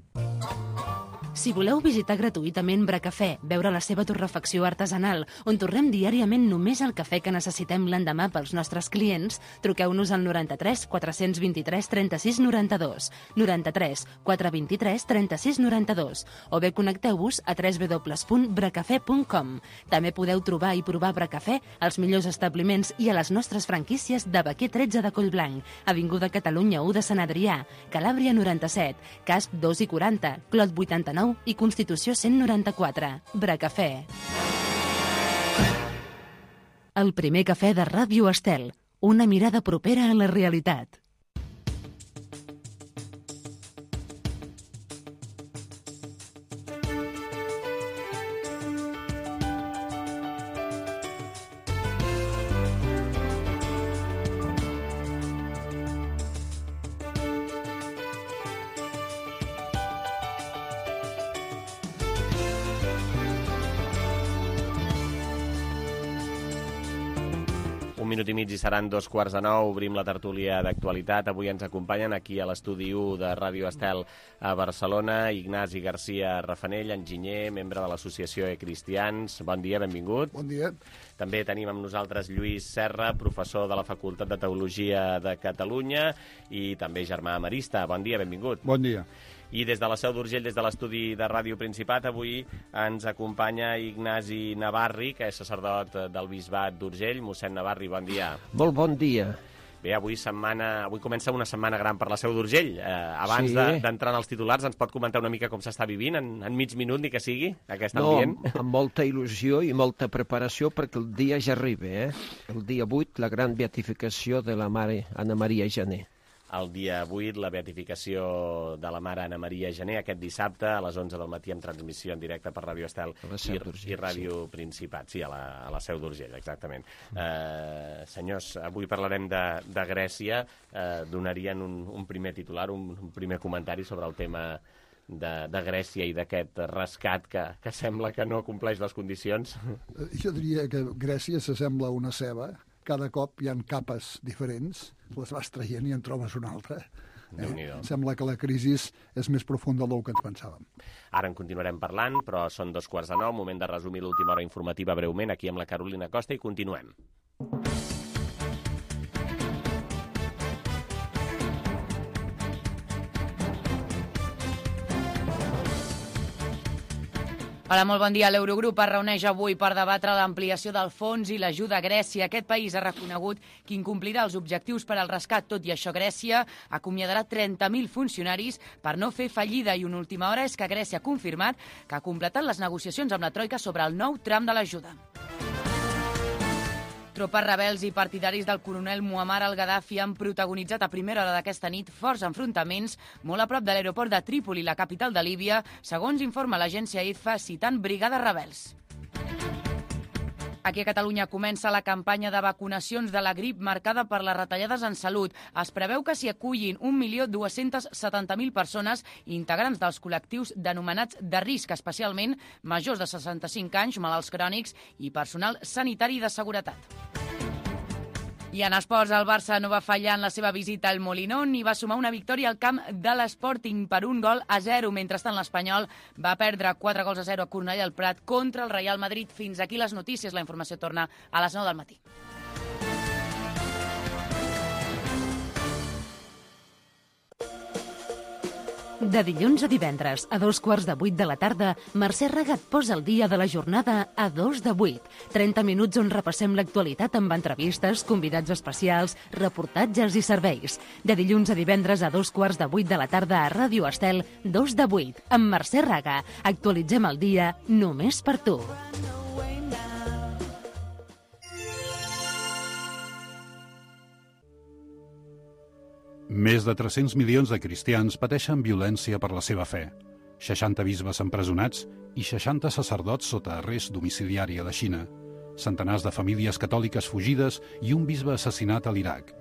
Si voleu visitar gratuïtament Bracafè, veure la seva torrefacció artesanal, on torrem diàriament només el cafè que necessitem l'endemà pels nostres clients, truqueu-nos al noranta-tres quatre vint-i-tres trenta-sis noranta-dos, noranta-tres quatre vint-i-tres trenta-sis noranta-dos, o bé connecteu-vos a w w w punt bracafè punt com. També podeu trobar i provar Bracafè als millors establiments i a les nostres franquícies de Baquer tretze de Collblanc, Avinguda Catalunya u de Sant Adrià, Calàbria noranta-set, Casp dos i quaranta, Clot vuitanta-nou i Constitució cent noranta-quatre. Bracafè. El primer cafè de Ràdio Estel. Una mirada propera a la realitat. Un minut i mig i seran dos quarts de nou. Obrim la tertúlia d'actualitat. Avui ens acompanyen aquí a l'estudi u de Ràdio Estel a Barcelona Ignasi Garcia Rafanell, enginyer, membre de l'associació E-Cristians. Bon dia, benvingut. Bon dia. També tenim amb nosaltres Lluís Serra, professor de la Facultat de Teologia de Catalunya i també germà amarista. Bon dia, benvingut. Bon dia. I des de la Seu d'Urgell, des de l'estudi de Ràdio Principat, avui ens acompanya Ignasi Navarri, que és sacerdot del Bisbat d'Urgell. Mossèn Navarri, bon dia. Molt bon dia. Bé, avui setmana, avui comença una setmana gran per la Seu d'Urgell. Eh, abans Sí. de- d'entrar en els titulars, ens pot comentar una mica com s'està vivint, en, en mig minut, ni que sigui, aquest No, ambient? amb, amb molta il·lusió i molta preparació perquè el dia ja arriba, eh? El dia vuit, la gran beatificació de la mare Anna Maria Jané. El dia vuit, la beatificació de la mare Anna Maria Jané, aquest dissabte a les onze del matí amb transmissió en directe per Ràdio Estel i, i Ràdio sí. Principat. Sí, a la, a la Seu d'Urgell, exactament. Mm. Eh, senyors, avui parlarem de, de Grècia. Eh, donarien un, un primer titular, un, un primer comentari sobre el tema de, de Grècia i d'aquest rescat que, que sembla que no compleix les condicions. Jo diria que Grècia s'assembla a una ceba. Cada cop hi ha capes diferents, les vas traient i en trobes una altra. Eh? Sembla que la crisi és més profunda del que ens pensàvem. Ara en continuarem parlant, però són dos quarts de nou, moment de resumir l'última hora informativa breument aquí amb la Carolina Costa i continuem. Hola, molt bon dia. L'Eurogrup es reuneix avui per debatre l'ampliació del fons i l'ajuda a Grècia. Aquest país ha reconegut que incomplirà els objectius per al rescat. Tot i això, Grècia acomiadarà trenta mil funcionaris per no fer fallida i una última hora és que Grècia ha confirmat que ha completat les negociacions amb la Troika sobre el nou tram de l'ajuda. Tropes rebels i partidaris del coronel Muammar al-Gaddafi han protagonitzat a primera hora d'aquesta nit forts enfrontaments molt a prop de l'aeroport de Trípoli, la capital de Líbia, segons informa l'agència I F A, citant brigades rebels. Aquí a Catalunya comença la campanya de vacunacions de la grip marcada per les retallades en salut. Es preveu que s'hi acullin un milió dos-cents setanta mil persones integrants dels col·lectius denomenats de risc, especialment majors de seixanta-cinc anys, malalts crònics i personal sanitari de seguretat. I en esports, el Barça no va fallar en la seva visita al Molinón i va sumar una victòria al camp de l'Sporting per un gol a zero. Mentrestant, l'Espanyol va perdre quatre gols a zero a Cornellà al Prat contra el Real Madrid. Fins aquí les notícies. La informació torna a les nou del matí. De dilluns a divendres, a dos quarts de vuit de la tarda, Mercè Raga et posa el dia de la jornada a dos de vuit. trenta minuts on repassem l'actualitat amb entrevistes, convidats especials, reportatges i serveis. De dilluns a divendres a dos quarts de vuit de la tarda a Ràdio Estel, dos de vuit, amb Mercè Raga. Actualitzem el dia només per tu. Més de tres-cents milions de cristians pateixen violència per la seva fe. seixanta bisbes empresonats i seixanta sacerdots sota arrest domiciliari a la Xina. Centenars de famílies catòliques fugides i un bisbe assassinat a l'Iraq.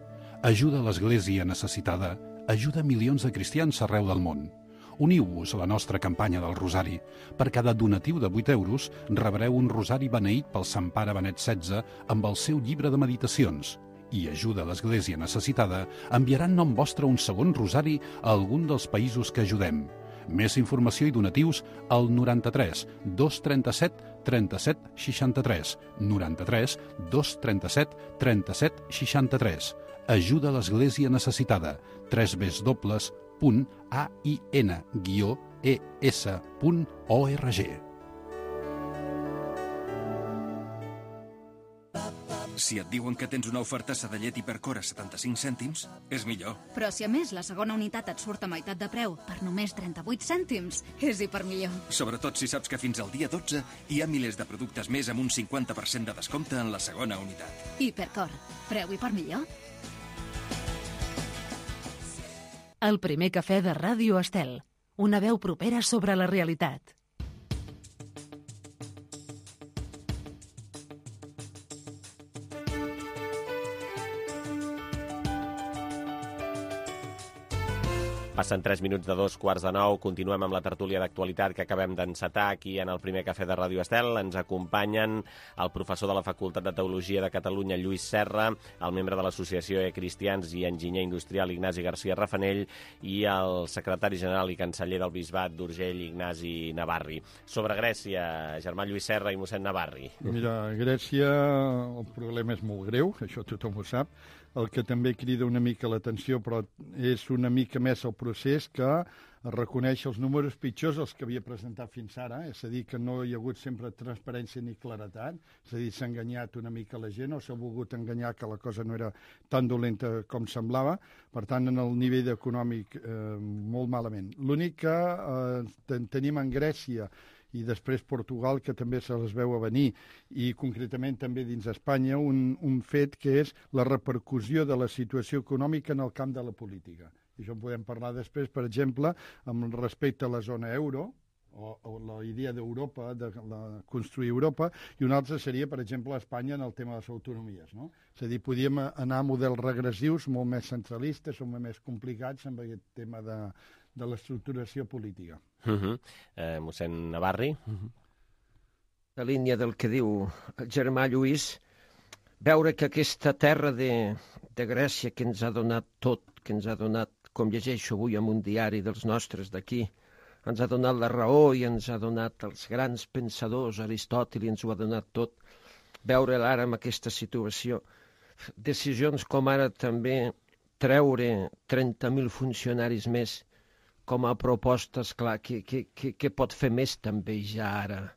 Ajuda a l'Església necessitada, ajuda milions de cristians arreu del món. Uniu-vos a la nostra campanya del Rosari. Per cada donatiu de vuit euros rebreu un rosari beneït pel Sant Pare Benet setze amb el seu llibre de meditacions. I ajuda a l'Església necessitada enviarà en nom vostre un segon rosari a algun dels països que ajudem. Més informació i donatius al noranta-tres dos trenta-set trenta-set seixanta-tres, noranta-tres dos trenta-set trenta-set seixanta-tres. Ajuda a l'Església necessitada. w w w punt a i n guió e s punt org. Si et diuen que tens una oferta de llet Hipercor a setanta-cinc cèntims, és millor. Però si a més la segona unitat et surt a meitat de preu per només trenta-vuit cèntims, és hipermillor. Sobretot si saps que fins al dia dotze hi ha milers de productes més amb un cinquanta per cent de descompte en la segona unitat. Hipercor. Preu hipermillor. El primer cafè de Ràdio Estel. Una veu propera sobre la realitat. Passen tres minuts de dos quarts de nou. Continuem amb la tertúlia d'actualitat que acabem d'encetar aquí en el primer cafè de Ràdio Estel. Ens acompanyen el professor de la Facultat de Teologia de Catalunya, Lluís Serra, el membre de l'Associació de Cristians i enginyer industrial, Ignasi García Rafanell, i el secretari general i canceller del Bisbat d'Urgell, Ignasi Navarri. Sobre Grècia, germà Lluís Serra i mossèn Navarri. Mira, a Grècia el problema és molt greu, això tothom ho sap. El que també crida una mica l'atenció, però és una mica més el procés que reconèixer els números pitjors els que havia presentat fins ara, és a dir, que no hi ha hagut sempre transparència ni claretat, és a dir, s'ha enganyat una mica la gent o s'ha volgut enganyar que la cosa no era tan dolenta com semblava, per tant, en el nivell econòmic eh, molt malament. L'únic que eh, tenim en Grècia i després Portugal, que també se les veu a venir, i concretament també dins Espanya, un, un fet que és la repercussió de la situació econòmica en el camp de la política. I això en podem parlar després, per exemple, amb respecte a la zona euro, o, o la idea d'Europa, de la, construir Europa, i una altra seria, per exemple, Espanya en el tema de les autonomies, no? És a dir, podíem anar a models regressius molt més centralistes o més complicats amb aquest tema de, de l'estructuració política. Uh -huh. eh, mossèn Navarri? Uh -huh. La línia del que diu el germà Lluís, veure que aquesta terra de, de Grècia que ens ha donat tot, que ens ha donat, com llegeixo avui en un diari dels nostres d'aquí, ens ha donat la raó i ens ha donat els grans pensadors, Aristòtil, i ens ho ha donat tot. Veure ara en aquesta situació, decisions com ara també treure trenta mil funcionaris més com a proposta, esclar, que, que, que, que pot fer més també ja ara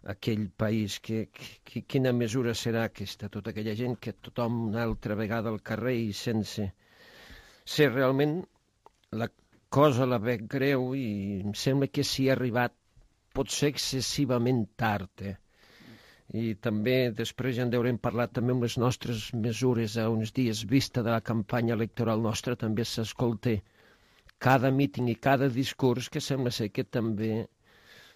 aquell país, que, que, quina mesura serà aquesta, tota aquella gent que tothom una altra vegada al carrer i sense ser realment la cosa la veig greu i em sembla que s'hi ha arribat potser excessivament tard. Eh? I també després ja en deurem parlar també amb les nostres mesures a uns dies vista de la campanya electoral nostra, també s'escolta cada míting i cada discurs que sembla ser que també,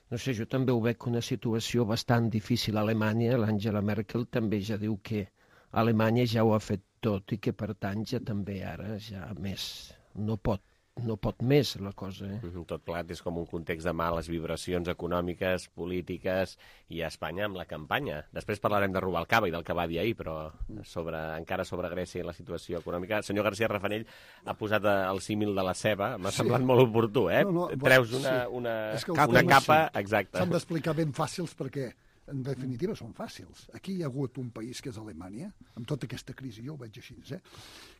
no sé, jo també ho veig una situació bastant difícil a Alemanya. L'Angela Merkel també ja diu que Alemanya ja ho ha fet tot i que per tant ja també ara ja més no pot, no pot més la cosa. Eh? Tot plegat és com un context de males vibracions econòmiques, polítiques i a Espanya amb la campanya. Després parlarem de Rubalcaba i del que va dir ahir, però sobre, encara sobre Grècia i la situació econòmica. El senyor García Rafanell ha posat el símil de la ceba, m'ha sí. semblat molt oportú, eh? No, no, Treus una, sí. una, una, una capa, sí. exacte. S'han d'explicar ben fàcils perquè en definitiva són fàcils. Aquí hi ha hagut un país que és Alemanya, amb tota aquesta crisi, jo ho veig així, eh?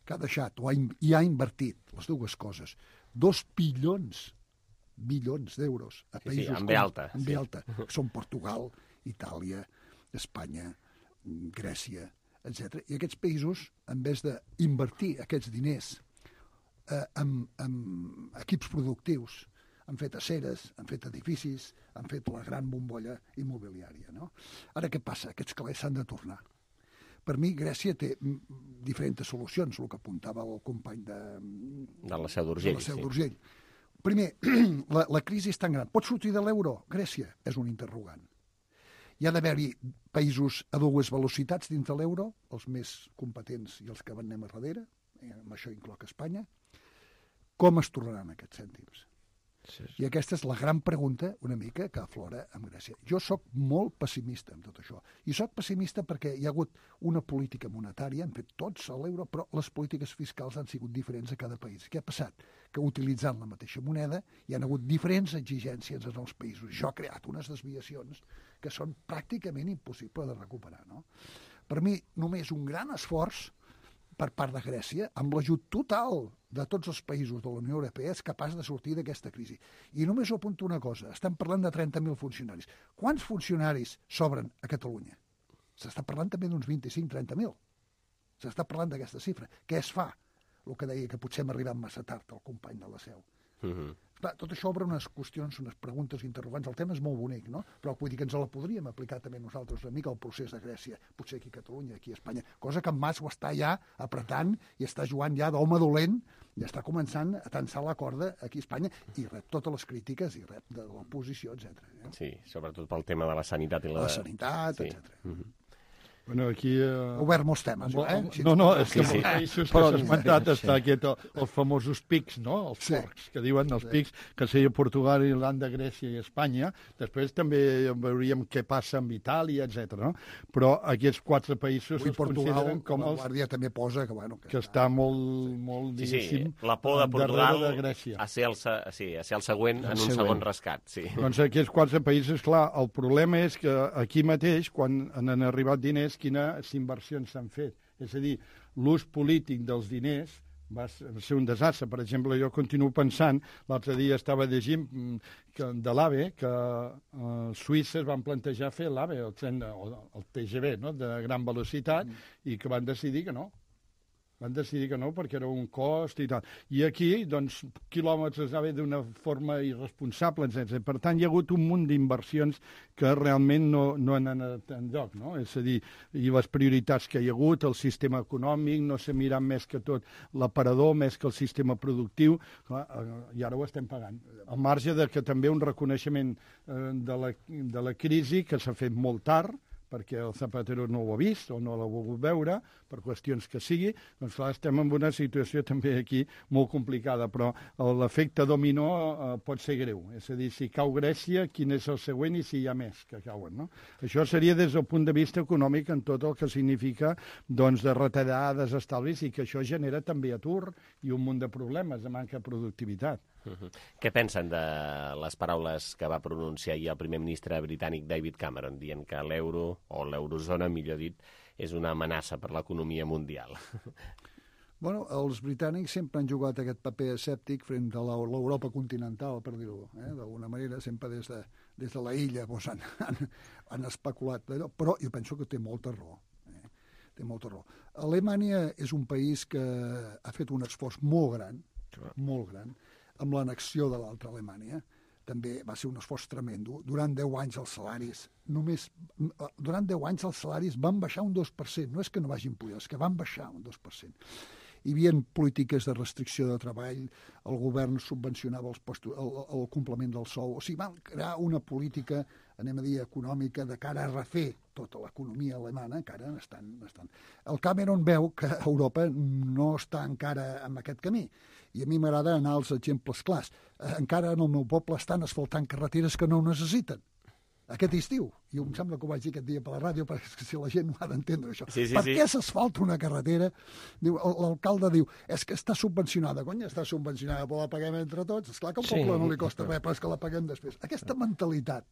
que ha deixat o ha, i ha invertit les dues coses, dos bilions, bilions d'euros a països sí, sí, amb com, alta, amb sí. alta, que són Portugal, Itàlia, Espanya, Grècia, etcètera. I aquests països, en vez d'invertir aquests diners eh, en, en equips productius, han fet aceres, han fet edificis, han fet la gran bombolla immobiliària. No? Ara què passa? Aquests calés s'han de tornar. Per mi, Grècia té diferents solucions, el que apuntava el company de, de la Seu d'Urgell. Sí. Primer, la, la crisi és tan gran. Pot sortir de l'euro? Grècia és un interrogant. Hi ha d'haver-hi països a dues velocitats dins de l'euro, els més competents i els que van anem a darrere, amb això incloc Espanya. Com es tornaran aquests cèntims? Sí, sí. I aquesta és la gran pregunta, una mica, que aflora amb Grècia. Jo sóc molt pessimista amb tot això. I sóc pessimista perquè hi ha hagut una política monetària, han fet tots a l'euro, però les polítiques fiscals han sigut diferents a cada país. Què ha passat? Que utilitzant la mateixa moneda hi han hagut diferents exigències en els països. Això ha creat unes desviacions que són pràcticament impossibles de recuperar. No? Per mi, només un gran esforç per part de Grècia, amb l'ajut total de tots els països de la Unió Europea, és capaç de sortir d'aquesta crisi. I només ho apunto una cosa, estem parlant de trenta mil funcionaris. Quants funcionaris sobren a Catalunya? S'està parlant també d'uns vint-i-cinc a trenta mil. S'està parlant d'aquesta xifra. Què es fa? El que deia que potser hem arribat massa tard, el company de la Seu. Uh-huh. Clar, tot això obre unes qüestions, unes preguntes interrogants. El tema és molt bonic, no? Però vull dir que ens la podríem aplicar també nosaltres una mica al procés de Grècia, potser aquí a Catalunya, aquí a Espanya, cosa que en Mas ho està ja apretant i està jugant ja d'home dolent i està començant a tensar la corda aquí a Espanya i rep totes les crítiques i rep de l'oposició, etcètera. Eh? Sí, sobretot pel tema de la sanitat i la... La sanitat, sí. etcètera. Uh-huh. Bueno, aquí... Uh... Obert molts temes, eh? No, no, és que sí, sí. Els països que s'ha esmentat està aquest, els famosos pics, no? Els sí. porcs, que diuen els sí. pics, que seria Portugal, Irlanda, Grècia i Espanya. Després també veuríem què passa amb Itàlia, etcètera. No? Però aquests quatre països Avui es Portugal, consideren com els... els... Guàrdia també posa que, bueno, que, que està molt, molt sí, diguéssim, sí. La por de Portugal de Grècia. A ser el, sí, a ser el següent en un segon rescat. Sí. Doncs aquests quatre països, clar, el problema és que aquí mateix, quan han arribat diners, quina s'inversió s'han fet. És a dir, l'ús polític dels diners va ser un desastre. Per exemple, jo continuo pensant, l'altre dia estava llegint que, de l'AVE, que eh, Suïssa es van plantejar fer l'AVE, el, tren, el, el T G V, no?, de gran velocitat, mm. i que van decidir que no. Van decidir que no, perquè era un cost i tal. I aquí, doncs, quilòmetres anava d'una forma irresponsable, etcètera. Per tant, hi ha hagut un munt d'inversions que realment no, no han anat enlloc, no? És a dir, i les prioritats que hi ha hagut, el sistema econòmic, no s'ha mirat més que tot l'aparador, més que el sistema productiu, clar, i ara ho estem pagant. Al marge de que també un reconeixement eh, de, la, de la crisi que s'ha fet molt tard, perquè el Zapatero no ho ha vist o no l'ha volgut veure, per qüestions que sigui, doncs clar, estem en una situació també aquí molt complicada, però l'efecte dominó eh, pot ser greu. És a dir, si cau Grècia, quin és el següent i si hi ha més que cauen, no? Això seria des del punt de vista econòmic en tot el que significa doncs, de retallades, estalvis, i que això genera també atur i un munt de problemes de manca de productivitat. Uh-huh. Què pensen de les paraules que va pronunciar ahir el primer ministre britànic David Cameron, dient que l'euro, o l'eurozona, millor dit, és una amenaça per l'economia mundial? Bueno, els britànics sempre han jugat aquest paper escèptic front a l'Europa continental, per dir-ho, eh? D'alguna manera, sempre des de, des de la illa doncs, han, han, han especulat d'allò, però jo penso que té molta raó. Eh? Té molta raó. Alemanya és un país que ha fet un esforç molt gran, molt gran, amb l'annexió de l'altra Alemanya. També va ser un esforç tremendo. Durant deu anys els salaris, només, durant deu anys els salaris van baixar un dos per cent. No és que no vagin pujar, és que van baixar un dos per cent. Hi havia polítiques de restricció de treball, el govern subvencionava els postos, el, el complement del sou. O sigui, van crear una política, anem a dir, econòmica de cara a refer tota l'economia alemana, encara estan, estan. El Cameron veu que Europa no està encara en aquest camí. I a mi m'agrada anar als exemples clars. Encara en el meu poble estan asfaltant carreteres que no ho necessiten. Aquest estiu. I em sembla que ho vaig dir aquest dia per la ràdio, perquè si la gent no ha d'entendre això. Sí, sí, per sí. Què s'asfalta una carretera? Diu, l'alcalde diu, és que està subvencionada. Conya, està subvencionada, però la paguem entre tots. Esclar que al poble sí, no li costa res, però és que la paguem després. Aquesta mentalitat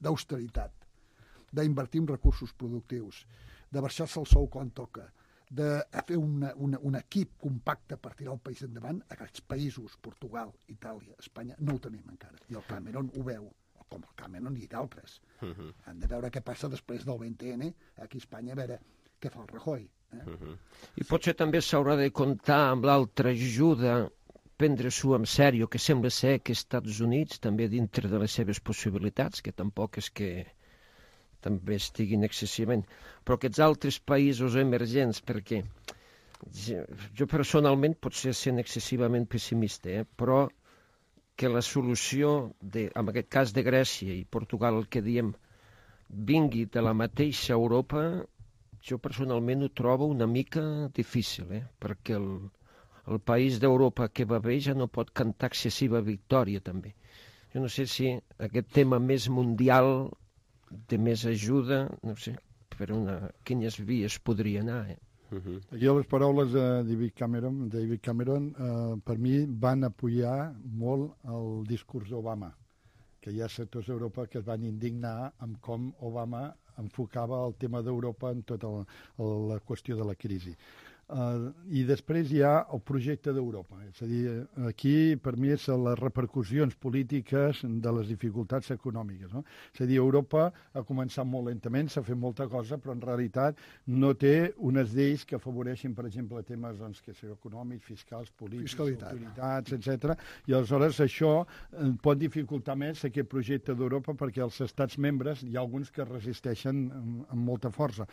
d'austeritat, d'invertir en recursos productius, de baixar-se el sou quan toca, de fer una, una, un equip compacte per tirar el país endavant, aquests països, Portugal, Itàlia, Espanya, no ho tenim encara. I el Cameron ho veu, com el Cameron i d'altres. Uh-huh. Han de veure què passa després del vint ene aquí a Espanya, a veure què fa el Rajoy. Eh? Uh-huh. I potser també s'haurà de comptar amb l'altra ajuda, prendre-s'ho en sèrio, que sembla ser que els Estats Units, també dintre de les seves possibilitats, que tampoc és que també estiguin excessivament, però aquests altres països emergents, perquè jo, jo personalment potser sent excessivament pessimista, eh? Però que la solució, de, en aquest cas de Grècia i Portugal, el que diem, vingui de la mateixa Europa, jo personalment ho trobo una mica difícil, eh? Perquè el, el país d'Europa que va bé ja no pot cantar excessiva victòria, també. Jo no sé si aquest tema més mundial de més ajuda, no sé, per una, quines vies podria anar, eh? Uh-huh. Aquí les paraules de David Cameron, David Cameron eh, per mi van apoyar molt el discurs d'Obama, que hi ha sectors d'Europa que es van indignar amb com Obama enfocava el tema d'Europa en tota la, la qüestió de la crisi. Uh, I després hi ha el projecte d'Europa. És a dir, aquí per mi és les repercussions polítiques de les dificultats econòmiques. No? És a dir, Europa ha començat molt lentament, s'ha fet molta cosa, però en realitat no té unes lleis que afavoreixin, per exemple, temes doncs, que són econòmics, fiscals, polítics, autoritats, etcètera. I aleshores això pot dificultar més aquest projecte d'Europa perquè els estats membres hi ha alguns que resisteixen amb, amb molta força.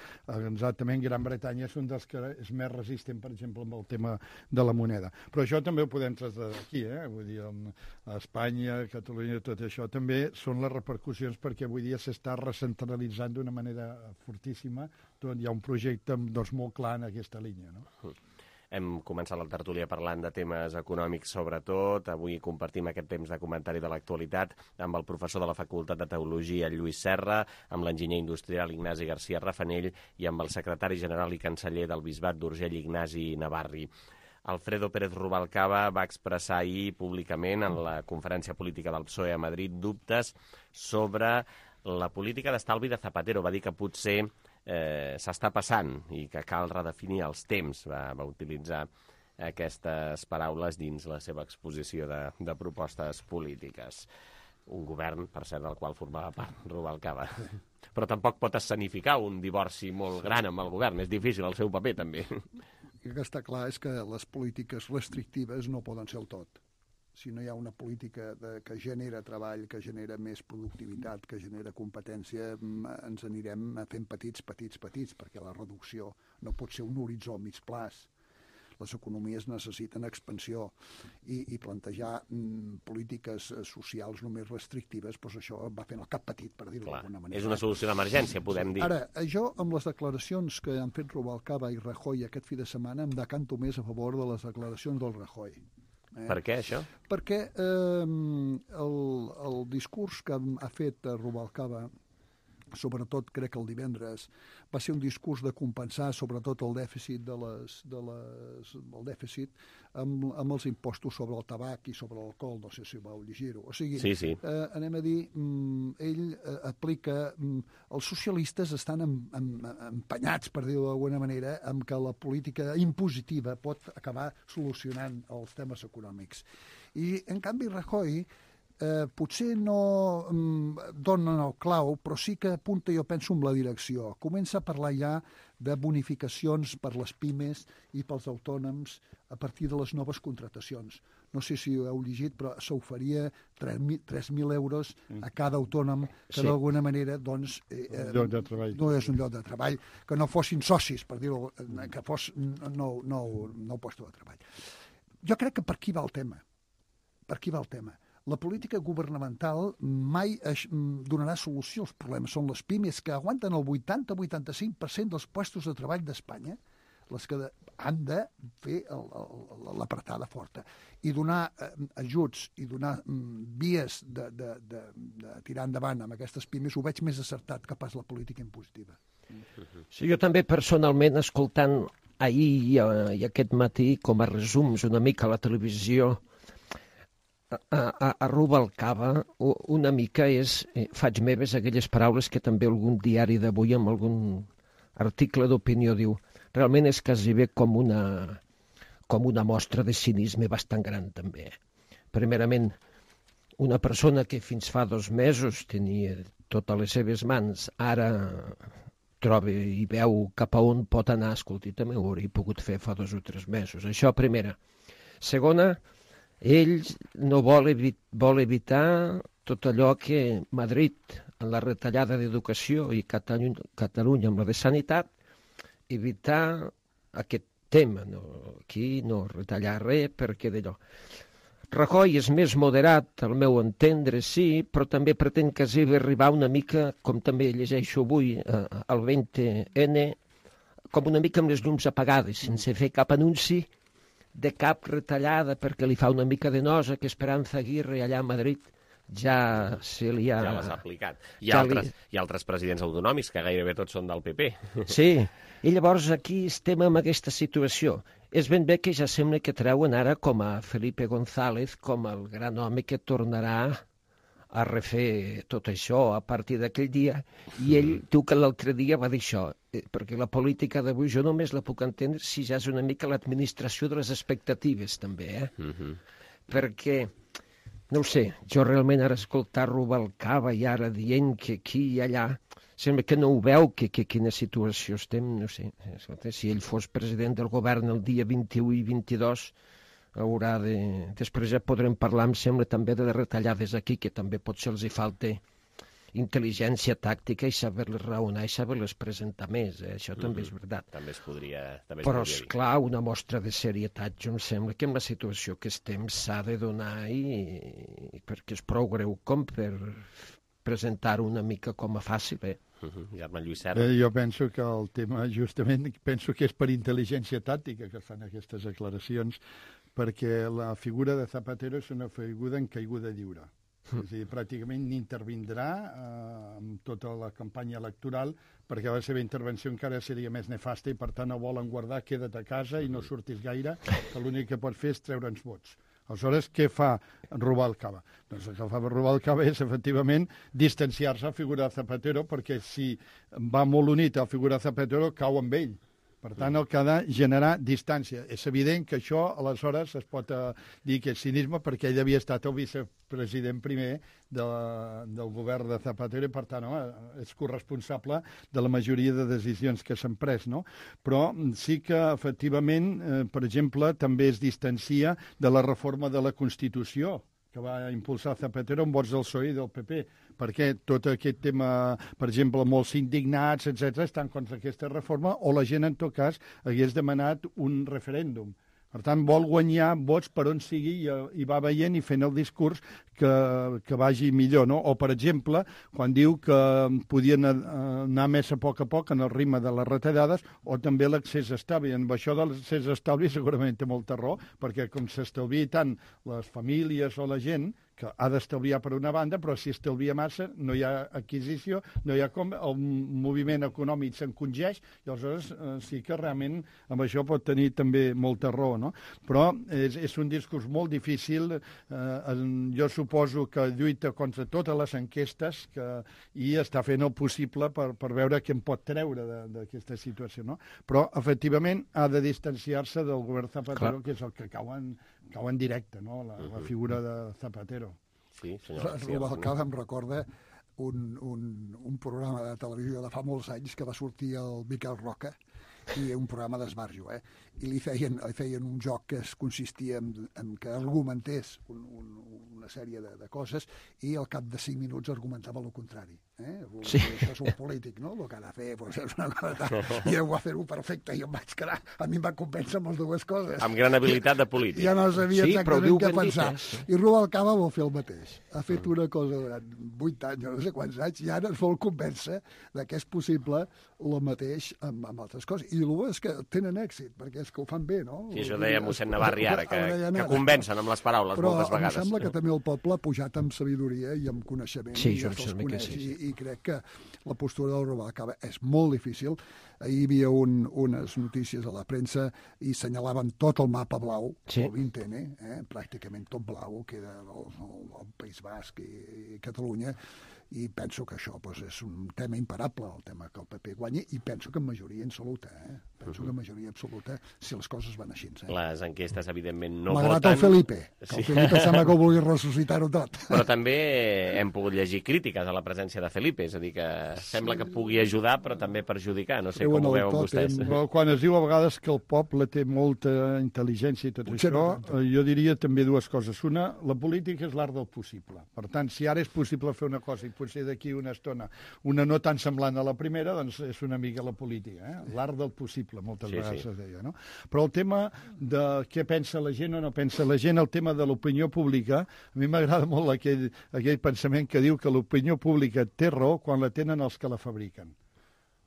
Exactament, Gran Bretanya és un dels que és més resistent, per exemple, amb el tema de la moneda. Però això també ho podem traslladar aquí, eh? Vull dir, a Espanya, a Catalunya, tot això també són les repercussions perquè avui dia s'està recentralitzant d'una manera fortíssima. Tot, hi ha un projecte doncs, molt clar en aquesta línia, no? Hem començat la tertúlia parlant de temes econòmics sobretot. Avui compartim aquest temps de comentari de l'actualitat amb el professor de la Facultat de Teologia, Lluís Serra, amb l'enginyer industrial Ignasi García Rafanell i amb el secretari general i canceller del Bisbat d'Urgell, Ignasi Navarri. Alfredo Pérez Rubalcaba va expressar ahir públicament en la conferència política del P S O E a Madrid dubtes sobre la política d'estalvi de Zapatero. Va dir que potser eh, s'està passant i que cal redefinir els temps, va, va utilitzar aquestes paraules dins la seva exposició de, de propostes polítiques. Un govern, per cert, del qual formava part Rubalcaba. Però tampoc pot escenificar un divorci molt gran amb el govern. És difícil el seu paper, també. El que està clar és que les polítiques restrictives no poden ser el tot. Si no hi ha una política de, que genera treball, que genera més productivitat, que genera competència, ens anirem fent petits, petits, petits, perquè la reducció no pot ser un horitzó a mig plaç. Les economies necessiten expansió i, i plantejar mm, polítiques socials només restrictives, doncs això va fent el cap petit, per dir-ho d'alguna manera. És una solució d'emergència, podem dir. Ara, jo, amb les declaracions que han fet Rubalcaba i Rajoy aquest fi de setmana, em decanto més a favor de les declaracions del Rajoy. Eh? Per què, això? Perquè eh, el, el discurs que ha fet Rubalcaba, sobretot crec que el divendres, va ser un discurs de compensar sobretot el dèficit de les, de les, el dèficit amb, amb els impostos sobre el tabac i sobre l'alcohol, no sé si vau llegir-ho. O sigui, sí, sí. Eh, anem a dir, mm, ell eh, aplica... Mm, els socialistes estan em, em, empenyats, per dir-ho d'alguna manera, amb que la política impositiva pot acabar solucionant els temes econòmics. I, en canvi, Rajoy Eh, potser no mm, donen el clau, però sí que apunta, jo penso, en la direcció. Comença a parlar ja de bonificacions per les pimes i pels autònoms a partir de les noves contratacions. No sé si ho heu llegit, però s'oferia tres mil euros a cada autònom, que sí. D'alguna manera doncs, eh, lloc de treball. No és un lloc de treball, que no fossin socis, per dir-ho, que fos nou, nou, nou lloc de treball. Jo crec que per aquí va el tema. Per aquí va el tema. La política governamental mai es donarà solució als problemes. Són les pimes que aguanten el vuitanta a vuitanta-cinc per cent dels puestos de treball d'Espanya, les que han de fer l'apretada forta. I donar eh, ajuts i donar mm, vies de, de, de, de tirar endavant amb aquestes pimes ho veig més acertat que pas la política impositiva. Sí, jo també personalment, escoltant ahir i, i aquest matí com a resums una mica a la televisió, A, a, a Rubalcaba una mica és, eh, faig meves aquelles paraules que també algun diari d'avui amb algun article d'opinió diu, realment és quasi bé com una, com una mostra de cinisme bastant gran també. Primerament, una persona que fins fa dos mesos tenia totes les seves mans, ara troba i veu cap a on pot anar, escolti, també ho hauria pogut fer fa dos o tres mesos. Això primera. Segona, ell no vol, evi vol evitar tot allò que Madrid, en la retallada d'educació i Catalunya, Catalunya amb la de sanitat, evitar aquest tema. No, aquí no retallar res perquè d'allò. Rajoy és més moderat, al meu entendre, sí, però també pretén quasi arribar una mica, com també llegeixo avui, eh, al vint ene, com una mica amb les llums apagades, sense fer cap anunci de cap retallada, perquè li fa una mica de nosa que Esperanza Aguirre allà a Madrid ja se li ha... Ja les ha aplicat. Hi ha, ja altres, li... hi ha altres presidents autonòmics que gairebé tots són del P P. Sí, i llavors aquí estem en aquesta situació. És ben bé que ja sembla que treuen ara com a Felipe González com el gran home que tornarà a refer tot això a partir d'aquell dia, i ell diu que l'altre dia va dir això, perquè la política d'avui jo només la puc entendre si ja és una mica l'administració de les expectatives també, eh? Uh-huh. Perquè, no ho sé, jo realment ara escoltar Rubalcaba i ara dient que aquí i allà, sembla que no ho veu, que, que quina situació estem, no sé, escolta, si ell fos president del govern el dia vint-i-u i vint-i-dos, haurà de... Després ja podrem parlar, em sembla, també de les retallades aquí, que també potser els hi falta intel·ligència tàctica i saber-les raonar i saber-les presentar més, eh? Això mm-hmm. també és veritat. També es podria, també es Però, podria dir. esclar, una mostra de serietat, jo em sembla que en la situació que estem s'ha de donar i... i perquè és prou greu com per presentar-ho una mica com a fàcil, eh? Uh-huh. Germán Lluís Serra. Eh, jo penso que el tema, justament, penso que és per intel·ligència tàctica que fan aquestes declaracions, perquè la figura de Zapatero és una figura en caiguda lliure. Mm. És a dir, pràcticament n'intervindrà eh, amb tota la campanya electoral, perquè la seva intervenció encara seria més nefasta i, per tant, no volen guardar, queda't a casa i no surtis gaire, que l'únic que pot fer és treure'ns vots. Aleshores, què fa Rubalcaba? Doncs el que fa Rubalcaba és, efectivament, distanciar-se a la figura de Zapatero, perquè si va molt unit a la figura de Zapatero, cau amb ell. Per tant, el que ha de generar distància. És evident que això, aleshores, es pot uh, dir que és cinisme perquè ell havia estat el vicepresident primer de la, del govern de Zapatero i, per tant, home, és corresponsable de la majoria de decisions que s'han pres, no? Però sí que, efectivament, eh, per exemple, també es distancia de la reforma de la Constitució que va impulsar Zapatero amb vots del P S O E i del P P, perquè tot aquest tema, per exemple, molts indignats, etcètera, estan contra aquesta reforma, o la gent, en tot cas, hagués demanat un referèndum. Per tant, vol guanyar vots per on sigui i, i va veient i fent el discurs que, que vagi millor, no? O, per exemple, quan diu que podien anar més a poc a poc en el ritme de les retallades, o també l'accés estalvi. En això de l'accés estalvi segurament té molta raó, perquè com s'estalvia tant les famílies o la gent, que ha d'estalviar per una banda, però si estalvia massa no hi ha adquisició, no hi ha com, el moviment econòmic s'encongeix, i aleshores eh, sí que realment amb això pot tenir també molta raó, no? Però és, és un discurs molt difícil, eh, jo suposo que lluita contra totes les enquestes que, i està fent el possible per, per veure què en pot treure d'aquesta situació, no? Però, efectivament, ha de distanciar-se del govern Zapatero, Clar. que és el que cau en, cau en directe, no? La, la figura de Zapatero. Sí, senyor. Rubalcaba em recorda un, un, un programa de televisió de fa molts anys que va sortir el Miquel Roca, i un programa d'esbarjo, eh? I li feien, li feien un joc que es consistia en, en que argumentés un, un, una sèrie de, de coses i al cap de cinc minuts argumentava el contrari. Eh? Sí. Això és un polític, no? El que ha de fer pues, és una cosa tal. I ell va fer-ho perfecte i em vaig quedar... A mi em va convèncer amb les dues coses. Amb gran habilitat de polític. Ja no sabia sí, exactament què pensar. Dit, eh? I Rubalcaba vol fer el mateix. Ha fet una cosa durant vuit anys, no sé quants anys, i ara ens vol convèncer que és possible el mateix amb, amb altres coses. I el bo és que tenen èxit, perquè és que ho fan bé, no? Sí, això deia mossèn Navarri ara, que, que convencen amb les paraules però moltes vegades. Però em sembla que també el poble ha pujat amb sabidoria i amb coneixement, sí, i ja se'ls coneix, sí, sí. I, i crec que la postura del Rubalcaba és molt difícil. Ahir hi havia un, unes notícies a la premsa i senyalaven tot el mapa blau, sí. el vint ene, eh? pràcticament tot blau, que era el, el, el País Basc i, i Catalunya, i penso que això pues, és un tema imparable, el tema que el P P guanyi, i penso que en majoria absoluta, eh? penso uh -huh. que en majoria absoluta, si les coses van així. Eh? Les enquestes, evidentment, no Malgrat voten... el Felipe, que sí. el Felipe sembla que ho vulgui ressuscitar-ho tot. Però també hem pogut llegir crítiques a la presència de Felipe, és a dir, que sembla que pugui ajudar, però també perjudicar, no sé com ho veuen vostès. Però quan es diu a vegades que el poble té molta intel·ligència i tot Potser això, no jo diria també dues coses. Una, la política és l'art del possible. Per tant, si ara és possible fer una cosa i potser d'aquí una estona una no tan semblant a la primera, doncs és una mica la política, eh? L'art del possible, moltes sí, vegades sí. es deia, no? Però el tema de què pensa la gent o no pensa la gent, el tema de l'opinió pública, a mi m'agrada molt aquell, aquell pensament que diu que l'opinió pública té raó quan la tenen els que la fabriquen.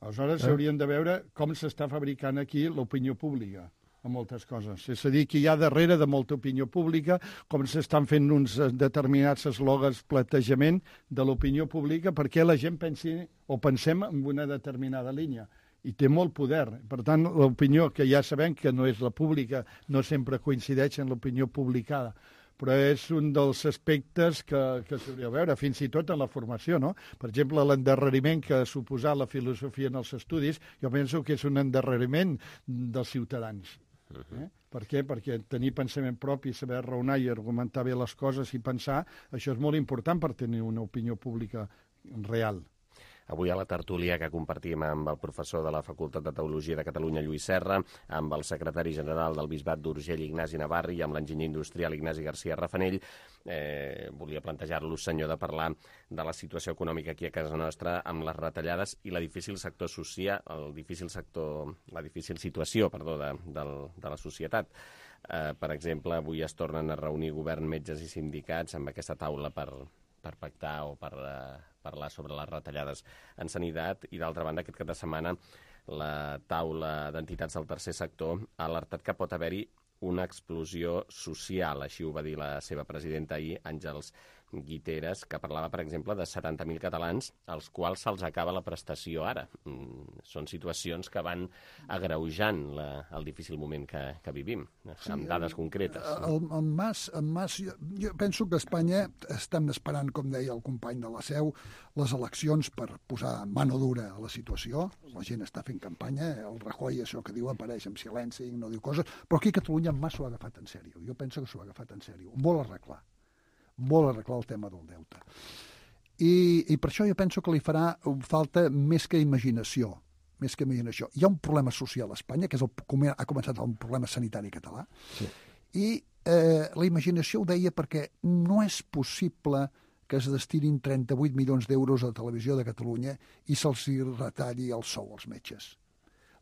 Aleshores, s'haurien de veure com s'està fabricant aquí l'opinió pública a moltes coses. És a dir, que hi ha darrere de molta opinió pública, com s'estan fent uns determinats eslògans platejament de l'opinió pública perquè la gent pensi o pensem en una determinada línia. I té molt poder. Per tant, l'opinió, que ja sabem que no és la pública, no sempre coincideix en l'opinió publicada, però és un dels aspectes que, que s'hauria de veure, fins i tot en la formació, no? Per exemple, l'endarreriment que ha suposat la filosofia en els estudis, jo penso que és un endarreriment dels ciutadans. Eh? Per què? Perquè tenir pensament propi, saber raonar i argumentar bé les coses i pensar, això és molt important per tenir una opinió pública real. Avui a la tertúlia que compartim amb el professor de la Facultat de Teologia de Catalunya, Lluís Serra, amb el secretari general del Bisbat d'Urgell, Ignasi Navarri, i amb l'enginyer industrial Ignasi García Rafanell, eh, volia plantejar-los, senyor, de parlar de la situació econòmica aquí a casa nostra amb les retallades i la difícil sector social, el difícil sector, la difícil situació, perdó, de, de, de la societat. Eh, per exemple, avui es tornen a reunir govern, metges i sindicats amb aquesta taula per, per pactar o per eh, parlar sobre les retallades en sanitat, i d'altra banda aquest cap de setmana la taula d'entitats del tercer sector ha alertat que pot haver-hi una explosió social, així ho va dir la seva presidenta ahir, Àngels Guiteras, que parlava, per exemple, de setanta mil catalans als quals se'ls acaba la prestació ara. Són situacions que van agreujant la, el difícil moment que, que vivim, sí, amb dades concretes. El, el Mas, el Mas jo, jo penso que a Espanya estem esperant, com deia el company de la Seu, les eleccions per posar mano dura a la situació. La gent està fent campanya, el Rajoy, això que diu, apareix en silenci, no diu coses, però aquí a Catalunya en Mas s'ho ha agafat en sèrio. Jo penso que s'ho ha agafat en sèrio. Vol arreglar. Vol arreglar el tema del deute. I, i per això jo penso que li farà falta més que imaginació. Més que imaginació. Hi ha un problema social a Espanya, que és el, ha començat un problema sanitari català, sí. I eh, la imaginació ho deia perquè no és possible que es destinin trenta-vuit milions d'euros a la televisió de Catalunya i se'ls retalli el sou als metges.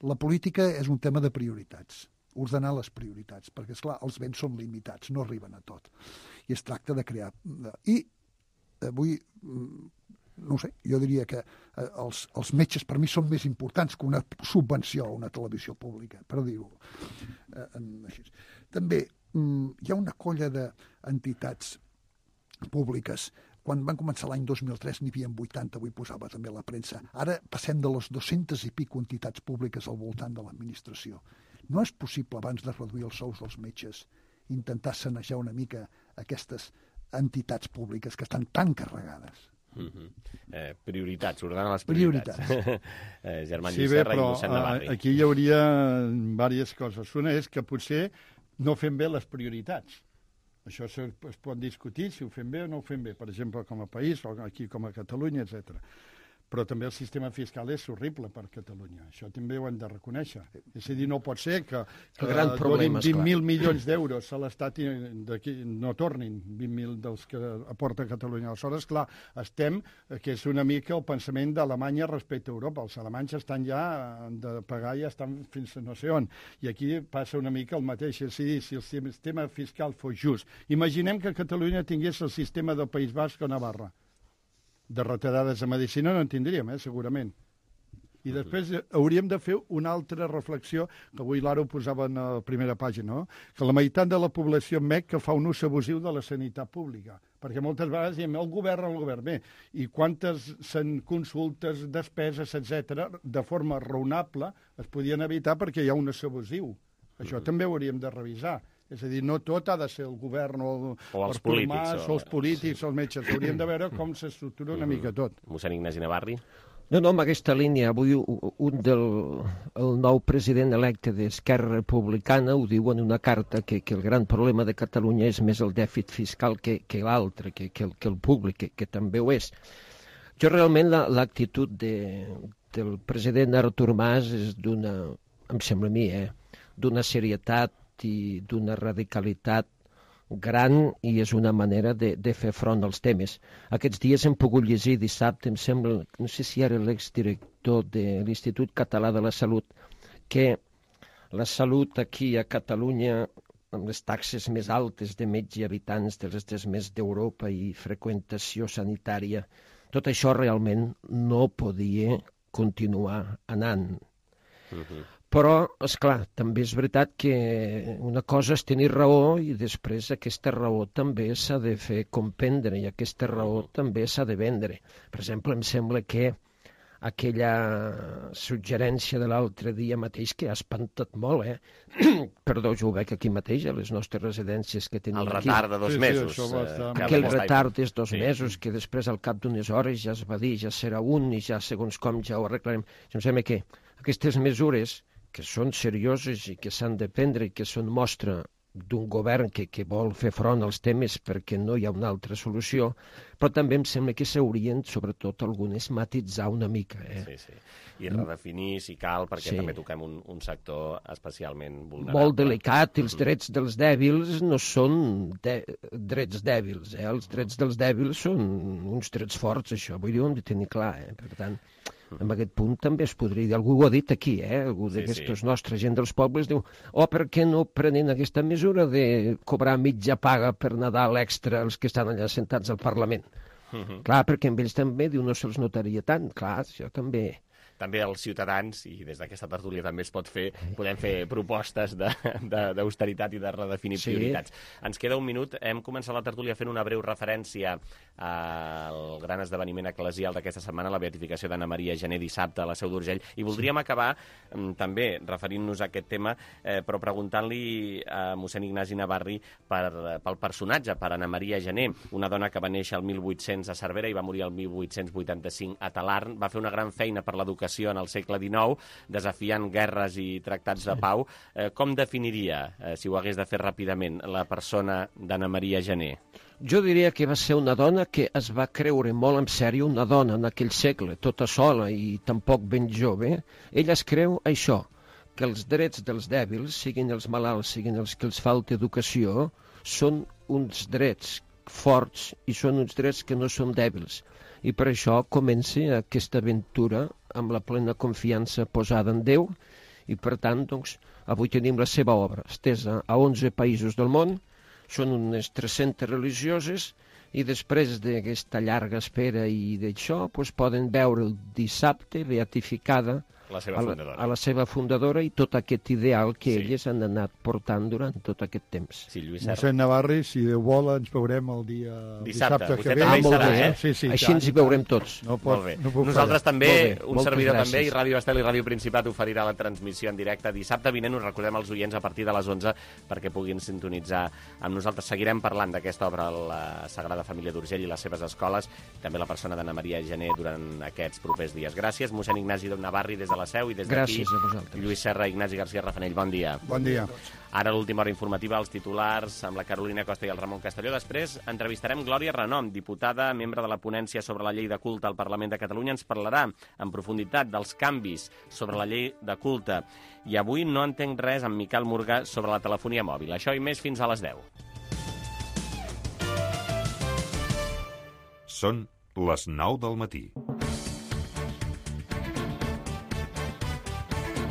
La política és un tema de prioritats, ordenar les prioritats, perquè, esclar, els béns són limitats, no arriben a tot. I es tracta de crear... I avui, no sé, jo diria que els, els metges per mi són més importants que una subvenció a una televisió pública, per dir-ho així. També hi ha una colla d'entitats públiques. Quan van començar l'any dos mil tres n'hi havia vuitanta, avui posava també la premsa. Ara passem de les dues-centes i pico entitats públiques al voltant de l'administració. No és possible, abans de reduir els sous dels metges, intentar sanejar una mica aquestes entitats públiques que estan tan carregades. Mm-hmm. eh, prioritats, ordenar les prioritats. prioritats. eh, Germán sí, Llucerra bé, però, i Mossèn Navarri. Aquí hi hauria diverses coses. Una és que potser no fem bé les prioritats. Això es pot discutir si ho fem bé o no ho fem bé, per exemple, com a país, o aquí com a Catalunya, etcètera. Però també el sistema fiscal és horrible per Catalunya. Això també ho hem de reconèixer. És a dir, no pot ser que, que donin vint mil milions d'euros a l'Estat i no tornin vint mil dels que aporta Catalunya. Aleshores, clar, estem, que és una mica el pensament d'Alemanya respecte a Europa. Els alemanys estan ja de pagar, ja estan fins a no sé on. I aquí passa una mica el mateix. És a dir, si el sistema fiscal fos just. Imaginem que Catalunya tingués el sistema del País Basc o Navarra. De retallades a medicina no en tindríem, eh, segurament. I després hauríem de fer una altra reflexió, que avui l'Ara ho posava en la primera pàgina, no? Que la meitat de la població admet que fa un ús abusiu de la sanitat pública. Perquè moltes vegades diem, el govern, el govern, bé, i quantes consultes, despeses, etcètera, de forma raonable es podien evitar perquè hi ha un ús abusiu. Això mm. també ho hauríem de revisar. És a dir, no tot ha de ser el govern o, o els polítics, Mas, o els polítics, sí. o els metges. Hauríem de veure com s'estructura una mica tot. Mossèn Ignasi Navarri. No, no, amb aquesta línia. Avui un del el nou president electe d'Esquerra Republicana ho diu en una carta que, que el gran problema de Catalunya és més el dèficit fiscal que, que l'altre, que, que, el, que el públic, que, que també ho és. Jo realment l'actitud de, del president Artur Mas és d'una, em sembla a mi, eh, d'una serietat i d'una radicalitat gran i és una manera de, de fer front als temes. Aquests dies hem pogut llegir dissabte, em sembla, no sé si era l'exdirector de l'Institut Català de la Salut, que la salut aquí a Catalunya, amb les taxes més altes de metge i habitants de les des més d'Europa i freqüentació sanitària, tot això realment no podia continuar anant. Uh-huh. Però, esclar, també és veritat que una cosa és tenir raó i després aquesta raó també s'ha de fer comprendre i aquesta raó també s'ha de vendre. Per exemple, em sembla que aquella suggerència de l'altre dia mateix que ha espantat molt, eh? Perdó, jo ho veig aquí mateix, a les nostres residències que tenim aquí. El retard de dos sí, mesos. Sí, eh, aquell retard dels dos sí. mesos que després al cap d'unes hores ja es va dir, ja serà un i ja segons com ja ho arreglarem. Em sembla que aquestes mesures que són serioses i que s'han de prendre i que són mostra d'un govern que, que vol fer front als temes perquè no hi ha una altra solució, però també em sembla que s'haurien, sobretot algunes, matitzar una mica. Eh? Sí, sí. I redefinir, si cal, perquè sí. també toquem un, un sector especialment vulnerable. Molt delicat, els drets dels dèbils no són de, drets dèbils, eh? Els drets dels dèbils són uns drets forts, això, vull dir, ho hem de tenir clar, eh? Per tant, en aquest punt també es podria dir, algú ho ha dit aquí, eh? Algú d'aquestos sí, sí. nostres gent dels pobles diu, oh, per què no prenen aquesta mesura de cobrar mitja paga per Nadal extra als que estan allà sentats al Parlament? Uh-huh. Clar, perquè amb ells també diu no se'ls notaria tant, clar, això també... també els ciutadans, i des d'aquesta tertúlia també es pot fer, podem fer propostes d'austeritat i de redefinir sí. prioritats. Ens queda un minut. Hem començat la tertúlia fent una breu referència al gran esdeveniment eclesial d'aquesta setmana, la beatificació d'Anna Maria Gené dissabte a la Seu d'Urgell, i voldríem sí. acabar també referint-nos a aquest tema, eh, però preguntant-li a mossèn Ignasi Navarri per, pel personatge, per Anna Maria Gené, una dona que va néixer el mil vuit-cents a Cervera i va morir el mil vuit-cents vuitanta-cinc a Talarn, va fer una gran feina per l'educació en el segle dinou, desafiant guerres i tractats de pau. Eh, com definiria, eh, si ho hagués de fer ràpidament, la persona d'Anna Maria Gené? Jo diria que va ser una dona que es va creure molt en sèrio, una dona en aquell segle, tota sola i tampoc ben jove. Ella es creu això, que els drets dels dèbils, siguin els malalts, siguin els que els falta educació, són uns drets forts i són uns drets que no són dèbils. I per això comença aquesta aventura amb la plena confiança posada en Déu i, per tant, doncs, avui tenim la seva obra estesa a onze països del món, són unes tres-centes religioses i després d'aquesta llarga espera i d'això doncs, poden veure el dissabte beatificada la seva a, la, fundadora. a la seva fundadora i tot aquest ideal que sí. elles han anat portant durant tot aquest temps. Sí, Lluís Mossèn Navarri, si Déu vol, ens veurem el dia dissabte, dissabte que ve. Ah, molt serà, bé, eh? sí, sí, així ens hi veurem tots. No pot, molt bé. No puc Nosaltres fallar. també, un Moltes servidor gràcies. també, i Ràdio Estel i Ràdio Principat oferirà la transmissió en directe dissabte vinent. Us recordem als oients a partir de les onze perquè puguin sintonitzar amb nosaltres. Seguirem parlant d'aquesta obra, la Sagrada Família d'Urgell i les seves escoles, també la persona d'Anna Maria Gené durant aquests propers dies. Gràcies, mossèn Ignasi Navarri des de la Seu i des d'aquí Gràcies a vosaltres. Lluís Serra, Ignasi García Rafanell. Bon dia. Bon dia. Ara l'última hora informativa, els titulars amb la Carolina Costa i el Ramon Castelló. Després entrevistarem Glòria Renom, diputada, membre de la ponència sobre la llei de culte al Parlament de Catalunya. Ens parlarà en profunditat dels canvis sobre la llei de culte. I avui no entenc res amb Miquel Morgà sobre la telefonia mòbil. Això i més fins a les deu. Són les nou del matí.